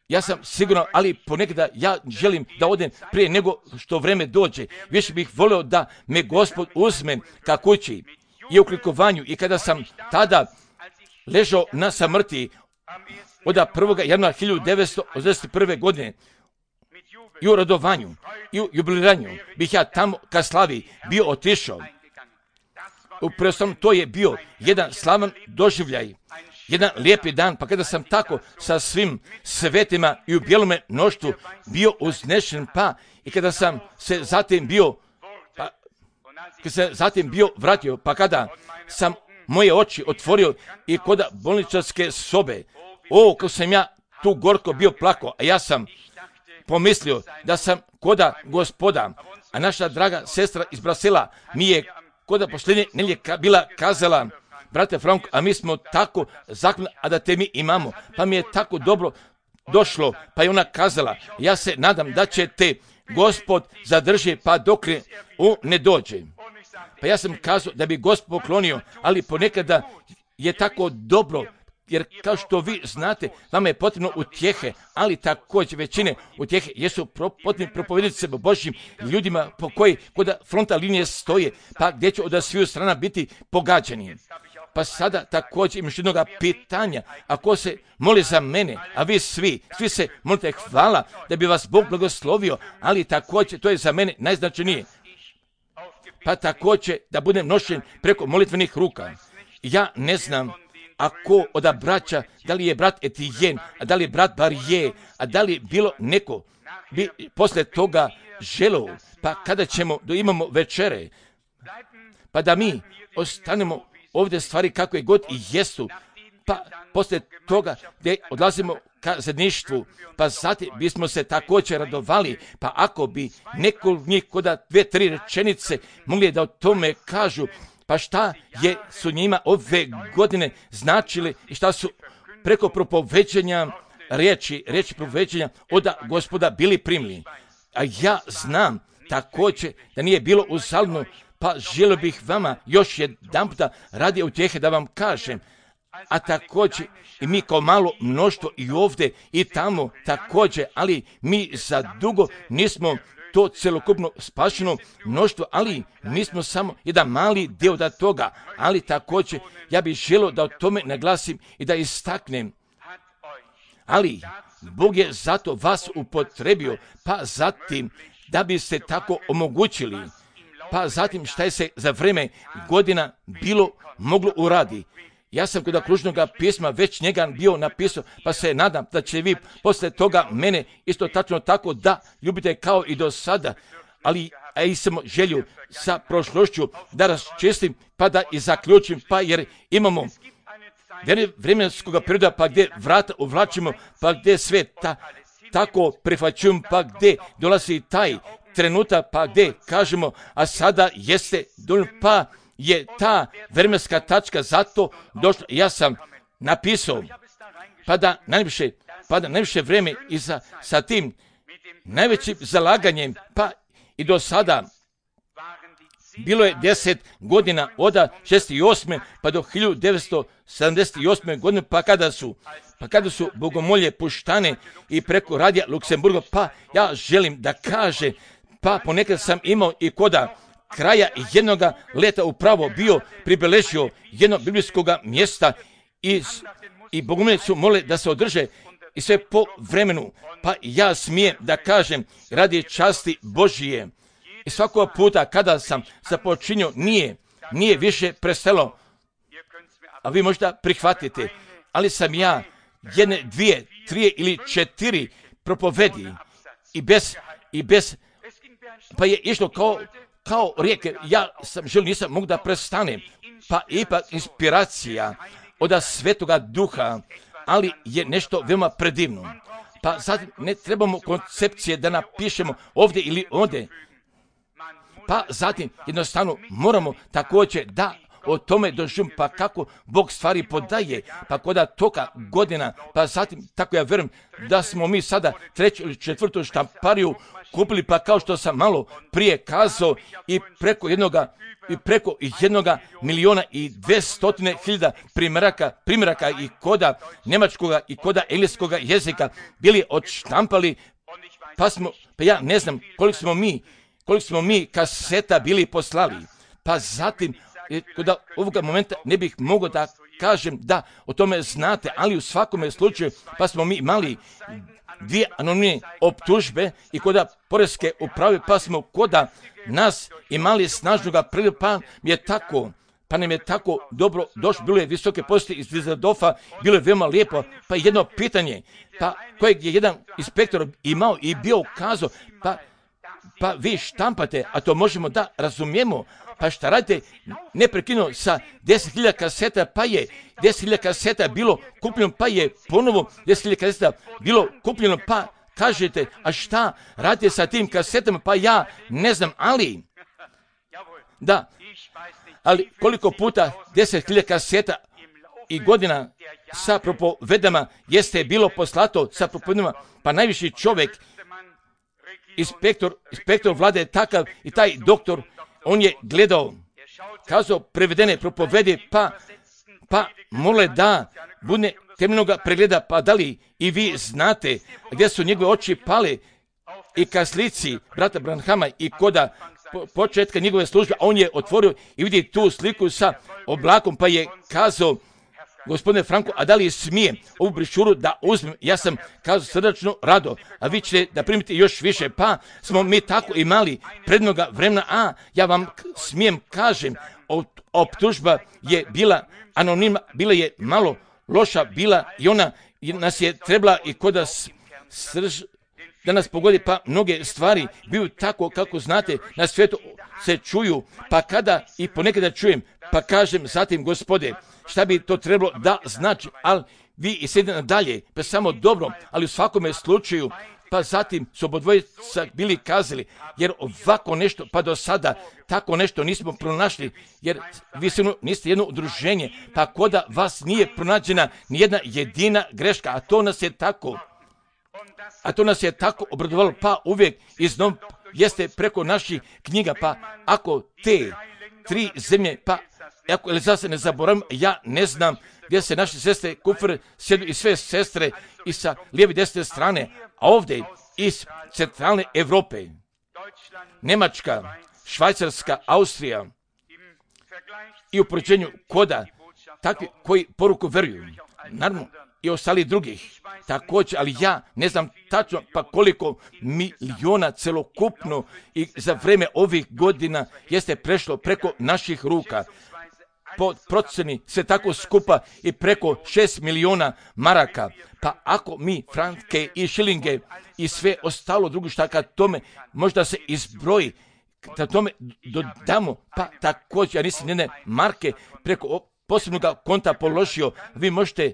Ja sam sigurno, ali ponekada ja želim da odem prije nego što vreme dođe. Više bih volio da me Gospod uzme ka kući i u klikovanju. I kada sam tada ležao na samrti od prvog januara hiljadu devetsto osamdeset prve. godine i u radovanju i u jubiliranju bih ja tamo ka slavi bio otišao. Upravo sam, to je bio jedan slavan doživljaj, jedan lijepi dan, pa kada sam tako sa svim svetima i u bijelome mnoštvu bio uznešen, pa i kada sam se zatim bio, pa, kada se zatim bio vratio, pa kada sam moje oči otvorio i kod bolničarske sobe, o, kako sam ja tu gorko bio plako, a ja sam pomislio da sam koda Gospoda, a naša draga sestra iz Brasila mi je koda posljednje nelje bila kazala, brate Franko, a mi smo tako zakon, a da te mi imamo, pa mi je tako dobro došlo, pa je ona kazala, ja se nadam da će te Gospod zadrži, pa dok on ne dođe. Pa ja sam kazao da bi Gospod poklonio, ali ponekada je tako dobro, jer kao što vi znate, vama je potrebno utjehe, ali također većine utjehe jesu potrebni propovedati se Božjim ljudima po koji kod fronta linije stoje, pa gdje će od sviju strana biti pogađani. Pa sada također imaš jednog pitanja, ako se moli za mene, a vi svi, svi se molite hvala da bi vas Bog blagoslovio, ali također to je za mene najznačajnije. Pa također da budem nošen preko molitvenih ruka. Ja ne znam ako od braća, da li je brat Etijen, a da li je brat Barije, a da li bilo neko bi posle toga želeo, pa kada ćemo, da imamo večere, pa da mi ostanemo ovdje stvari kako je god i jesu, pa posle toga gdje odlazimo ka zajedništvu, pa zatim bismo se također radovali, pa ako bi neko od njih koda dve, tri rečenice mogli da o tome kažu, pa šta je su njima ove godine značili i šta su preko propoveđenja riječi, riječi propoveđenja od Gospoda bili primljeni. A ja znam također da nije bilo uzaludno, pa želio bih vama još jedan puta radi utjehe da vam kažem, a također i mi kao malo mnoštvo i ovdje i tamo također, ali mi za dugo nismo to celokupno spašeno mnoštvo, ali mi smo samo jedan mali dio da toga, ali također ja bih želio da o tome naglasim i da istaknem. Ali Bog je zato vas upotrebio, pa zatim da biste tako omogućili, pa zatim šta je se za vrijeme godina bilo moglo uradi. Ja sam kod kružnog pisma već njega bio napisao, pa se nadam da će vi posle toga mene isto tačno tako da ljubite kao i do sada, ali a i sam želju sa prošlošću da raščistim, pa da i zaključim, pa jer imamo vremenskog perioda, pa gdje vrata uvlačimo, pa gdje sve ta, tako prihvaćujem, pa gdje dolazi taj trenutak, pa gdje kažemo, a sada jeste, pa je ta vremenska tačka zato došla. Ja sam napisao, pa da najviše, pa da najviše vreme i sa, sa tim najvećim zalaganjem, pa i do sada bilo je deset godina od šezdeset osme pa do hiljadu devetsto sedamdeset osme. godine, pa kada su pa kada su bogomolje puštane i preko radija Luksemburga, pa ja želim da kaže, pa ponekad sam imao i koda kraja jednog leta upravo bio pribeležio jednog biblijskog mjesta i, i bogomolje su mole da se održe i sve po vremenu, pa ja smijem da kažem radi časti Božije. I svakog puta kada sam započinio, nije, nije više prestalo, a vi možda prihvatite, ali sam ja jedne, dvije, tri ili četiri propovedi i bez, i bez, pa je išlo kao, kao rijeke, ja sam želio, nisam mogu da prestanem, pa ipak inspiracija od Svetoga Duha, ali je nešto veoma predivno. Pa zatim ne trebamo koncepcije da napišemo ovdje ili ovdje, pa zatim jednostavno moramo također da o tome doživim, pa kako Bog stvari podaje, pa koda toga godina, pa zatim tako ja vjerujem da smo mi sada treću ili četvrtu štampariju kupili, pa kao što sam malo prije kazao, i preko jednoga i preko jednoga miliona i dvestotine hiljada primjeraka, primjeraka i koda njemačkoga i koda engleskoga jezika bili odštampali, pa smo, pa ja ne znam koliko smo mi, koliko smo mi kaseta bili poslali, pa zatim kod ovoga momenta ne bih mogao da kažem da o tome znate, ali u svakome slučaju pa smo mi imali dvije anonimne optužbe i koda poreske uprave, pa smo koda nas imali snažnoga priliva, pa je tako, pa nam je tako dobro došlo, bilo je visoke posti iz Düsseldorfa, bilo je veoma lijepo, pa jedno pitanje, pa kojeg je jedan inspektor imao i bio ukazao, pa pa vi štampate, a to možemo da razumijemo, pa šta radite neprekidno sa deset hiljada kaseta, pa je deset hiljada kaseta bilo kupljeno, pa je ponovo deset hiljada kaseta bilo kupljeno, pa kažete, a šta radite sa tim kasetama, pa ja ne znam, ali, da, ali koliko puta deset hiljada kaseta i godina sa propovedama jeste bilo poslato sa propovedama, pa najviši čovjek, Inspektor, inspektor vlade je takav i taj doktor, on je gledao, kazao prevedene propovedi, pa, pa mole da bude temeljnoga pregleda, pa da li i vi znate gdje su njegove oči pale i ka slici brata Branhama i koda po, početka njegove službe, on je otvorio i vidi tu sliku sa oblakom, pa je kazao, gospodine Franko, a da li smijem ovu brišuru da uzmem? Ja sam kazao srdačno rado, a vi ćete da primite još više, pa smo mi tako imali prednoga vremena, a ja vam smijem kažem, optužba je bila anonimna, bila je malo loša, bila i ona nas je trebala i koda srž, da nas pogodi, pa mnoge stvari biju tako kako znate, na svijetu se čuju, pa kada i ponekada čujem, pa kažem zatim, gospode, šta bi to trebalo da znači, ali vi i sedite nadalje, pa samo dobro, ali u svakome slučaju, pa zatim su obodvojica bili kazali, jer ovako nešto, pa do sada, tako nešto nismo pronašli, jer vi sigurno niste jedno udruženje, pa koda vas nije pronađena nijedna jedina greška, a to nas je tako, a to nas je tako obradovalo, pa uvijek iznov jeste preko naših knjiga, pa ako te tri zemlje, pa ako ili zase ne zaboravim, ja ne znam gdje se naše sestre Kufr sjedu i sve sestre i sa lijeve desne strane, a ovdje iz centralne Europe, Njemačka, Švajcarska, Austrija i u poređenju koda takvi koji poruku veruju, naravno i ostali drugih također, ali ja ne znam tačno pa koliko miliona celokupno i za vrijeme ovih godina jeste prešlo preko naših ruka. Po proceni sve tako skupa i preko šest miliona maraka. Pa ako mi franke i šilinge i sve ostalo drugo šta kad tome možda se izbroji, da tome dodamo, pa također ja nisam jedne marke preko posebnog konta položio, vi možete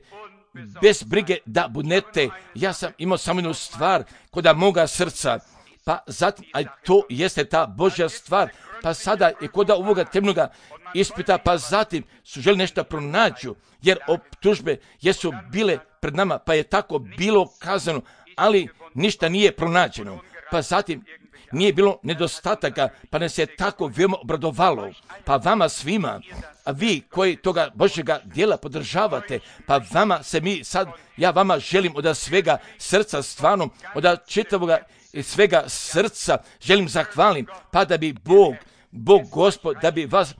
bez brige da budete, ja sam imao samo jednu stvar kod moga srca, pa zatim, a to jeste ta Božja stvar, pa sada je kod ovoga temnoga ispita, pa zatim su želi nešto pronađu, jer optužbe jesu bile pred nama, pa je tako bilo kazano, ali ništa nije pronađeno, pa zatim nije bilo nedostataka, pa nas je tako veoma obradovalo, pa vama svima, a vi koji toga Božjega djela podržavate, pa vama se mi sad, ja vama želim od svega srca stvarno, od čitavoga svega srca želim zahvalim, pa da bi Bog, Bog Gospod, da bi vas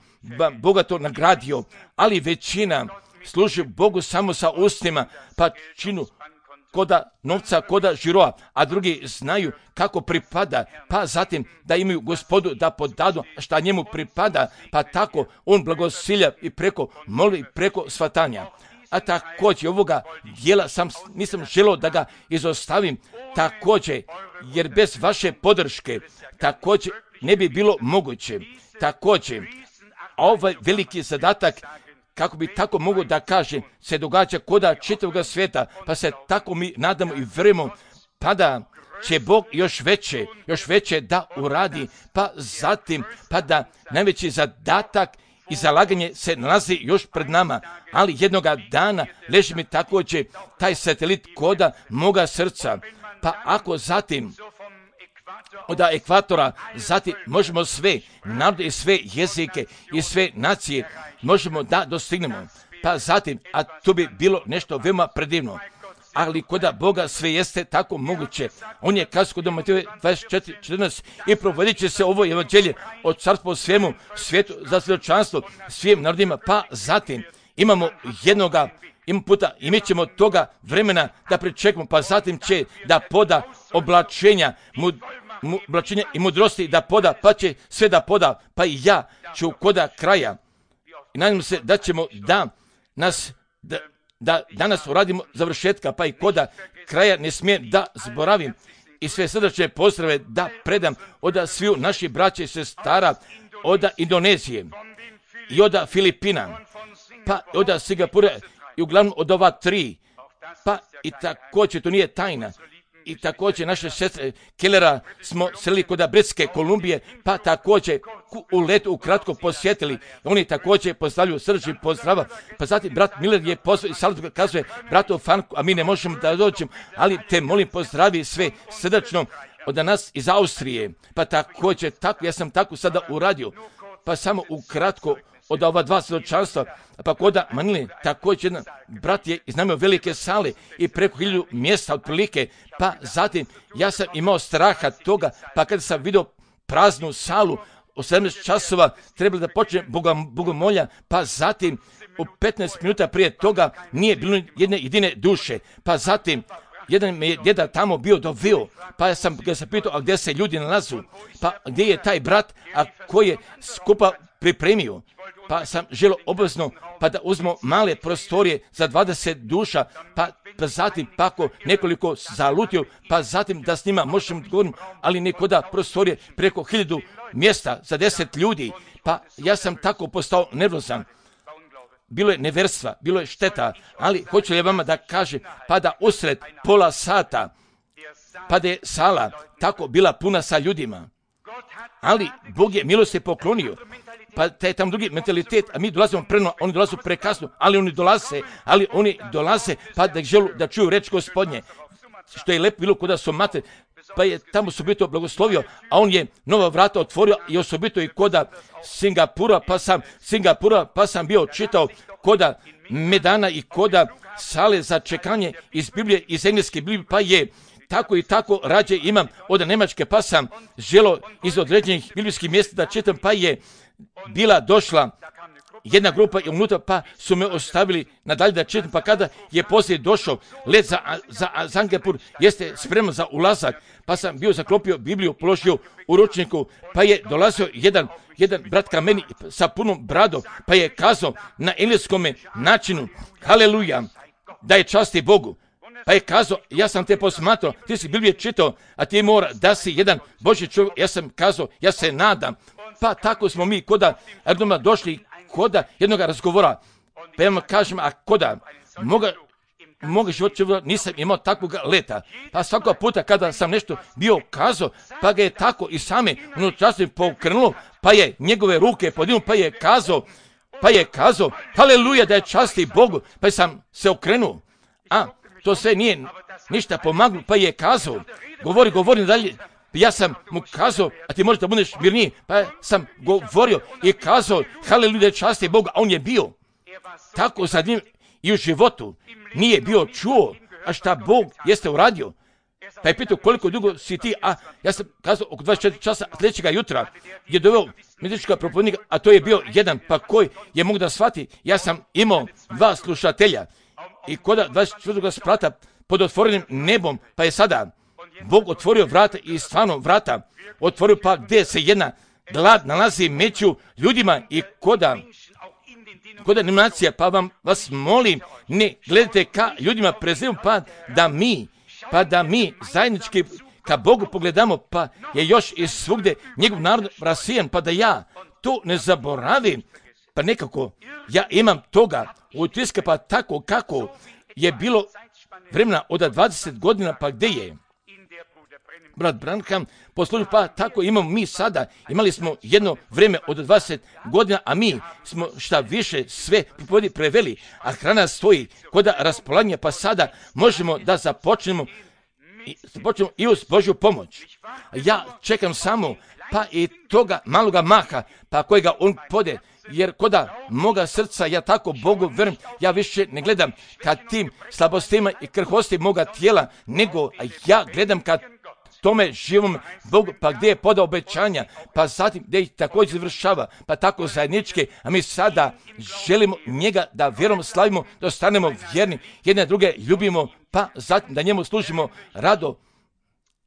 bogato nagradio, ali većina služi Bogu samo sa ustima, pa činu koda novca, koda žiroa, a drugi znaju kako pripada, pa zatim da imaju Gospodu da podadu šta njemu pripada, pa tako on blagosilja i preko molbi, preko svatanja. A također ovoga dijela sam, nisam želio da ga izostavim, također, jer bez vaše podrške također ne bi bilo moguće. Također, ovaj veliki zadatak, kako bi tako mogu da kažem, se događa koda čitavog svijeta, pa se tako mi nadamo i vjerujemo, pa da će Bog još veće, još veće da uradi, pa zatim, pa da najveći zadatak i zalaganje se nalazi još pred nama, ali jednoga dana leži mi također taj satelit koda moga srca, pa ako zatim od ekvatora, zatim možemo sve narode i sve jezike i sve nacije možemo da dostignemo, pa zatim, a to bi bilo nešto veoma predivno. Ali koda Boga sve jeste tako moguće. On je kazao kod Mateja dvadeset četiri četrnaest i provodit će se ovo evanđelje od carstva svemu svijetu za svjedočanstvo svim narodima, pa zatim imamo jednoga ima puta i mi ćemo toga vremena da pričekamo, pa zatim će da poda oblačenja, mu, mu, oblačenja i mudrosti da poda, pa će sve da poda, pa i ja ću koda kraja. I nadam se da ćemo da nas, da, da danas uradimo završetka, pa i koda kraja ne smije da zaboravim i sve srdačne pozdrave da predam od sviju naših braća i sestara od Indonezije i od Filipina, pa od Singapura i uglavnom od ova tri, pa i također to nije tajna. I također naše sestre Kellera smo selili kod Britske Kolumbije, pa također u letu ukratko posjetili. Oni također postavljaju srdačni pozdrava. Pa zatim brat Miller je pozvao i salatu kazuje bratu Fanku, a mi ne možemo da dođemo, ali te molim pozdravi sve srdačno od nas iz Austrije. Pa također tako, ja sam tako sada uradio. Pa samo ukratko od ova dva svjedočanstva, pa koda Manili, također jedan brat je iznajmio velike sale i preko hiljadu mjesta otprilike, pa zatim ja sam imao straha toga, pa kada sam vidio praznu salu, u sedamnaest časova trebalo da počne bogomolja, pa zatim u petnaest minuta prije toga nije bilo jedne jedine duše, pa zatim jedan me je djeda tamo bio doveo, pa ja sam ga se pitao, a gdje se ljudi nalazu, pa gdje je taj brat, a koji je skupa pripremio, pa sam želio obvezno pa da uzmemo male prostorije za dvadeset duša, pa, pa zatim pako nekoliko zalutio, pa zatim da s njima možemo govoriti, ali nekoda prostorije preko hiljadu mjesta za deset ljudi, pa ja sam tako postao nervozan. Bilo je neverstva, bilo je šteta, ali hoću li vama da kažem, pa da usred pola sata, pa da je sala tako bila puna sa ljudima, ali Bog je milosti poklonio, pa taj tam drugi mentalitet, a mi dolazimo preno, oni dolaze prekasno, ali oni dolaze, ali oni dolaze, pa da želu da čuju reč Gospodnje, što je lepo bilo kod Somate, pa je tamo osobito blagoslovio, a on je nova vrata otvorio i osobito i koda Singapura, pa sam Singapura, pa sam bio čitao koda Medana i koda sale za čekanje iz Biblije, iz engleske Biblije, pa je tako i tako rađe imam od Nemačke, pa sam želo iz određenih biblijskih mjesta da čitam, pa je bila došla jedna grupa i unutra, pa su me ostavili nadalje da čitam, pa kada je poslije došao let za, za Singapur, jeste spreman za ulazak, pa sam bio zaklopio Bibliju, položio u ručniku, pa je dolazio jedan, jedan brat ka meni sa punom bradom, pa je kazao na engleskome načinu, haleluja, da je časti Bogu. Pa je kazao, ja sam te posmatrao, ti si Biblije čitao, a ti mora da si jedan Božji čovjek. Ja sam kazao, ja se nadam. Pa tako smo mi koda Erdoma došli koda jednog razgovora. Pa ja vam kažem, a koda moga, moga života nisam imao takvog leta. Pa svakog puta kada sam nešto bio kazao, pa ga je tako i same unutrašnje pokrenulo, pa je njegove ruke podignuo, pa je kazao, pa je kazao, haleluja, da je časti Bogu, pa sam se okrenuo. A to sve nije ništa pomaglo, pa je kazao, govori, govori dalje, ja sam mu kazao, a ti možeš da budeš mirniji, pa sam govorio i kazao, haleluja, časti Boga, a on je bio tako za njim i u životu, nije bio čuo, a šta Bog jeste uradio. Pa je pitao koliko dugo si ti, a ja sam kazao oko dvadeset četiri časa sljedećega jutra je doveo medička propovjednika, a to je bio jedan, pa koji je mogu da shvati, ja sam imao dva slušatelja. I koda dvadeset četvrtog sprata, pod otvorenim nebom, pa je sada Bog otvorio vrata i stvarno vrata otvorio, pa gdje se jedna glad nalazi među ljudima i koda koda denominacija, pa vam vas molim, ne gledajte ka ljudima prezirem, pa da mi, pa da mi zajednički ka Bogu pogledamo, pa je još i svugdje njegov narod rasijan, pa da ja to ne zaboravim, pa nekako ja imam toga utiska, pa tako kako je bilo vremena od dvadeset godina, pa gdje je brat Branham poslužio, pa tako imamo mi sada. Imali smo jedno vrijeme od dvadeset godina, a mi smo šta više sve preveli, a hrana stoji kod raspolaganja, pa sada možemo da započnemo i, započnemo i uz Božju pomoć. Ja čekam samo pa i toga maloga maha, pa kojega on pode, jer koda moga srca ja tako Bogu verujem, ja više ne gledam ka tim slabostima i krhosti moga tijela, nego ja gledam ka tome živom Bogu, pa gdje je podao obećanja, pa zatim gdje ih također završava, pa tako zajedničke, a mi sada želimo njega da vjerom slavimo, da ostanemo vjerni, jedne druge ljubimo, pa zatim da njemu služimo rado,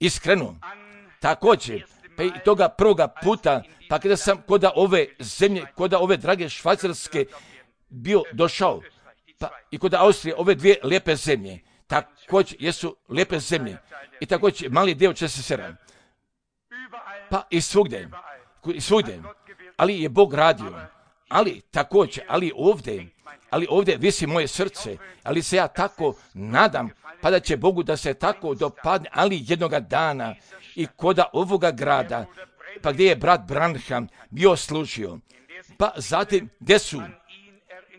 iskreno. Također, pa i toga prvoga puta, pa kada sam kod ove zemlje, kod ove drage Švajcarske bio došao, pa i kod Austrije, ove dvije lijepe zemlje, također jesu lijepe zemlje i također mali dio će se sera. Pa i svugdje, i svugdje, ali je Bog radio, ali također, ali ovdje, ali ovdje visi moje srce, ali se ja tako nadam, pa da će Bogu da se tako dopadne, ali jednoga dana i koda ovoga grada, pa gdje je brat Branham bio služio, pa zatim gdje su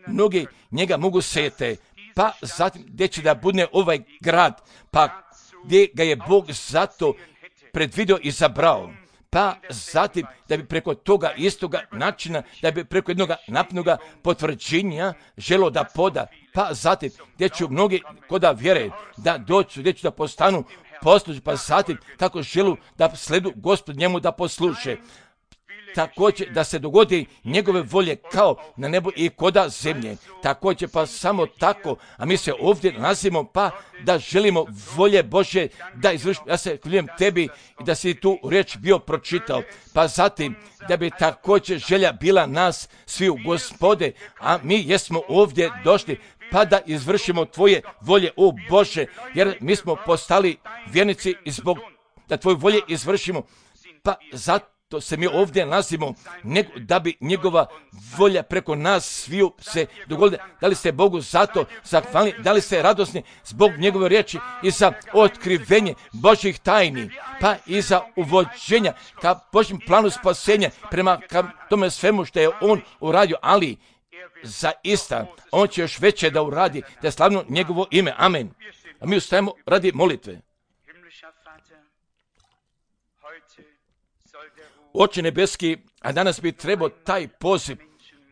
mnogi njega mogu sete, pa zatim gdje će da budne ovaj grad, pa gdje ga je Bog zato predvidio i zabrao, pa zatim da bi preko toga istoga načina, da bi preko jednoga napnoga potvrđenja želo da poda, pa zatim gdje ću mnogi koda vjere da doću, gdje ću da postanu posluži, pa zatim kako želu da sledu Gospod njemu da posluše. Također da se dogodi njegove volje kao na nebu i koda zemlje. Također pa samo tako, a mi se ovdje nalazimo pa da želimo volje Božje da izvršimo. Ja se hvaljujem tebi i da si tu riječ bio pročitao. Pa zatim da bi također želja bila nas svi u Gospode, a mi jesmo ovdje došli pa da izvršimo tvoje volje, o Bože, jer mi smo postali vjernici i zbog da tvoje volje izvršimo, pa zato to se mi ovdje nalazimo, nego da bi njegova volja preko nas sviju se dogodila. Da li ste Bogu zato zahvalni, da li ste radosni zbog njegove riječi i za otkrivenje Božjih tajni, pa i za uvođenja ka Božjem planu spasenja prema ka tome svemu što je on uradio, ali zaista on će još veće da uradi, da je slavno njegovo ime. Amen. A mi ustajemo radi molitve. Oče nebeski, a danas bi trebao taj poziv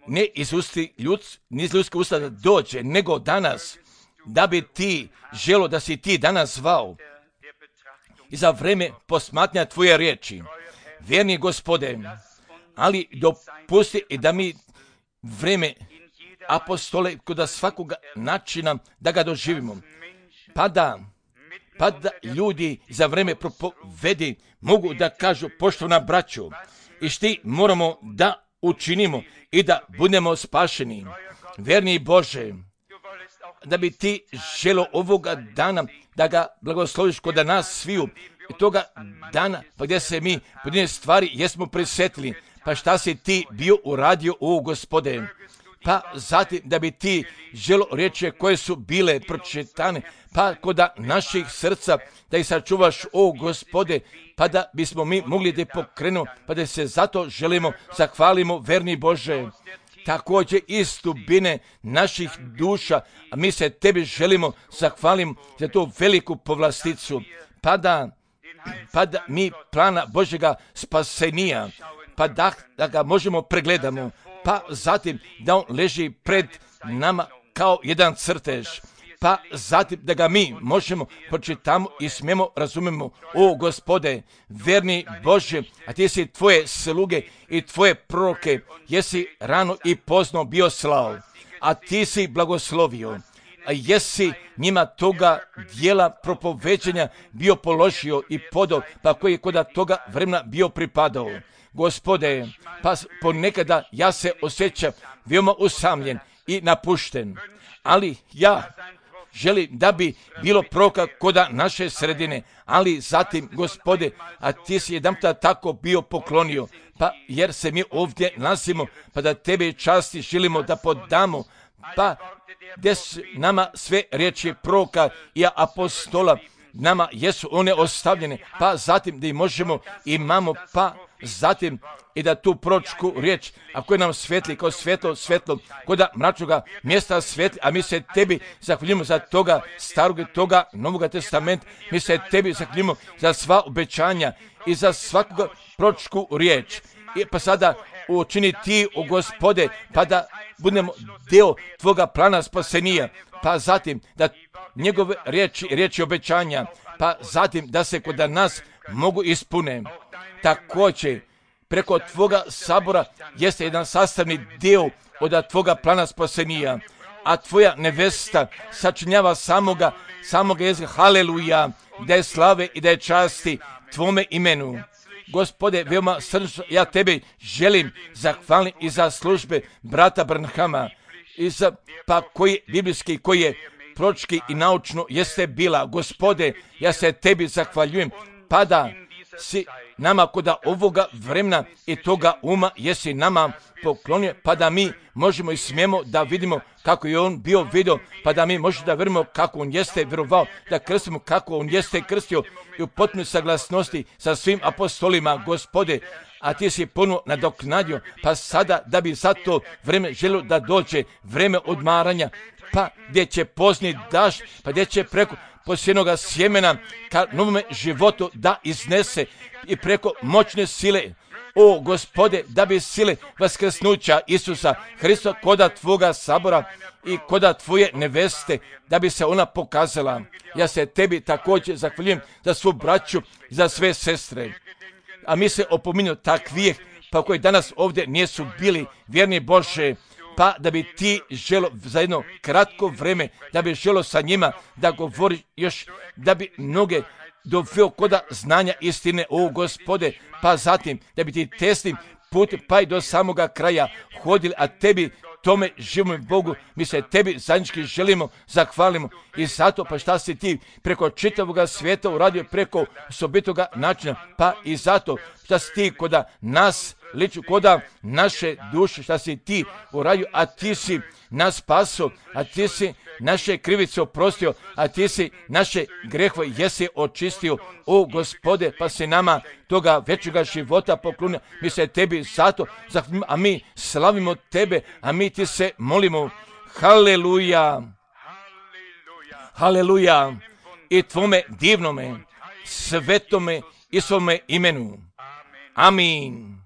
ne iz usti ljudski, ni iz ljudske usta da dođe, nego danas, da bi ti želo da si ti danas zvao i za vreme posmatranja tvoje riječi. Vjerni Gospode, ali dopusti i da mi vreme apostole kod svakoga načina da ga doživimo, pa da pa da ljudi za vreme propovedi mogu da kažu poštovana braćo, i šti moramo da učinimo i da budemo spašeni. Verni Bože, da bi ti želo ovoga dana da ga blagosloviš kod nas sviju i toga dana pa gdje se mi pojedine stvari jesmo prisetili, pa šta si ti bio uradio, o Gospode, pa zatim da bi ti želo riječi koje su bile pročitane, pa kod naših srca da ih sačuvaš, o Gospode, pa da bismo mi mogli da pokrenu, pa da se zato želimo, zahvalimo, verni Bože, također iz dubine naših duša, a mi se tebi želimo, zahvalimo za tu veliku povlasticu, pa da, pa da mi plana Božjega spasenija, pa da, da ga možemo pregledamo, pa zatim da on leži pred nama kao jedan crtež, pa zatim da ga mi možemo pročitamo i smijemo razumemo, o Gospode, verni Bože, a ti si tvoje sluge i tvoje proroke, jesi rano i pozno bio slao, a ti si blagoslovio, a jesi njima toga dijela propoveđenja bio položio i podao, pa koji je kod toga vremena bio pripadao. Gospode, pa ponekada ja se osjećam veoma usamljen i napušten, ali ja želim da bi bilo proroka koda naše sredine, ali zatim, Gospode, a ti si jedanputa tako bio poklonio, pa jer se mi ovdje nalazimo, pa da tebe časti želimo da podamo, pa gdje su nama sve riječi proroka i apostola, nama jesu one ostavljene, pa zatim da ih možemo, imamo, pa zatim i da tu proročku riječ, a koja nam svetli kao svetlo, svetlo, koda mračnoga mjesta svetli, a mi se tebi zahvaljujemo za toga starog i toga Novoga testamenta, mi se tebi zahvaljujemo za sva obećanja i za svakoga proročku riječ. I pa sada učini ti, o Gospode, pa da budemo deo tvoga plana spasenija, pa zatim da njegove riječi, riječi obećanja, pa zatim da se kod nas mogu ispune. Također, preko tvoga sabora jeste jedan sastavni dio od tvoga plana spasenija, a tvoja nevesta sačinjava samoga, samoga jezika, haleluja, da je slave i da je časti tvome imenu. Gospode, veoma srčno ja tebi želim zahvaliti i za službe brata Branhama, i za, pa koji biblijski, koji je proročki i naučno jeste bila. Gospode, ja se tebi zahvaljujem, pa da si nama koda ovoga vremena i toga uma jesi nama poklonio, pa da mi možemo i smijemo da vidimo kako je on bio vidio, pa da mi možemo da vjerujemo kako on jeste vjerovao, da krstimo kako on jeste krstio i u potpunoj saglasnosti sa svim apostolima, Gospode, a ti si ponovno nadoknadio, pa sada da bi za to vreme želio da dođe vreme odmaranja, pa gdje će pozni daš, pa gdje će preko posjenoga sjemena ka novome životu da iznese i preko moćne sile, o Gospode, da bi sile vaskrsnuća Isusa Hrista koda tvoga sabora i koda tvoje neveste, da bi se ona pokazala. Ja se tebi također zahvaljujem za svu braću, za sve sestre. A mi se opominju takvih, pa koji danas ovdje nisu bili vjerni Bože, pa da bi ti želo za jedno kratko vreme, da bi želo sa njima da govori još, da bi mnoge doveo koda znanja istine, o Gospode, pa zatim da bi ti tesnim put pa i do samoga kraja hodili, a tebi tome živom Bogu, mi se tebi zajednički želimo, zahvalimo i zato pa šta si ti preko čitavoga svijeta uradio preko osobitoga načina, pa i zato šta si ti koda nas liču, koda naše duše, šta si ti uradio, a ti si nas spaso, a ti si naše krivice oprostio, a ti si naše grehove jesi očistio, o Gospode, pa si nama toga večega života poklonio, mi se tebi zato zahvalimo, a mi slavimo tebe, a mi ti se molimo, haleluja, haleluja, i tvome divnome, svetome i svome imenu, amin.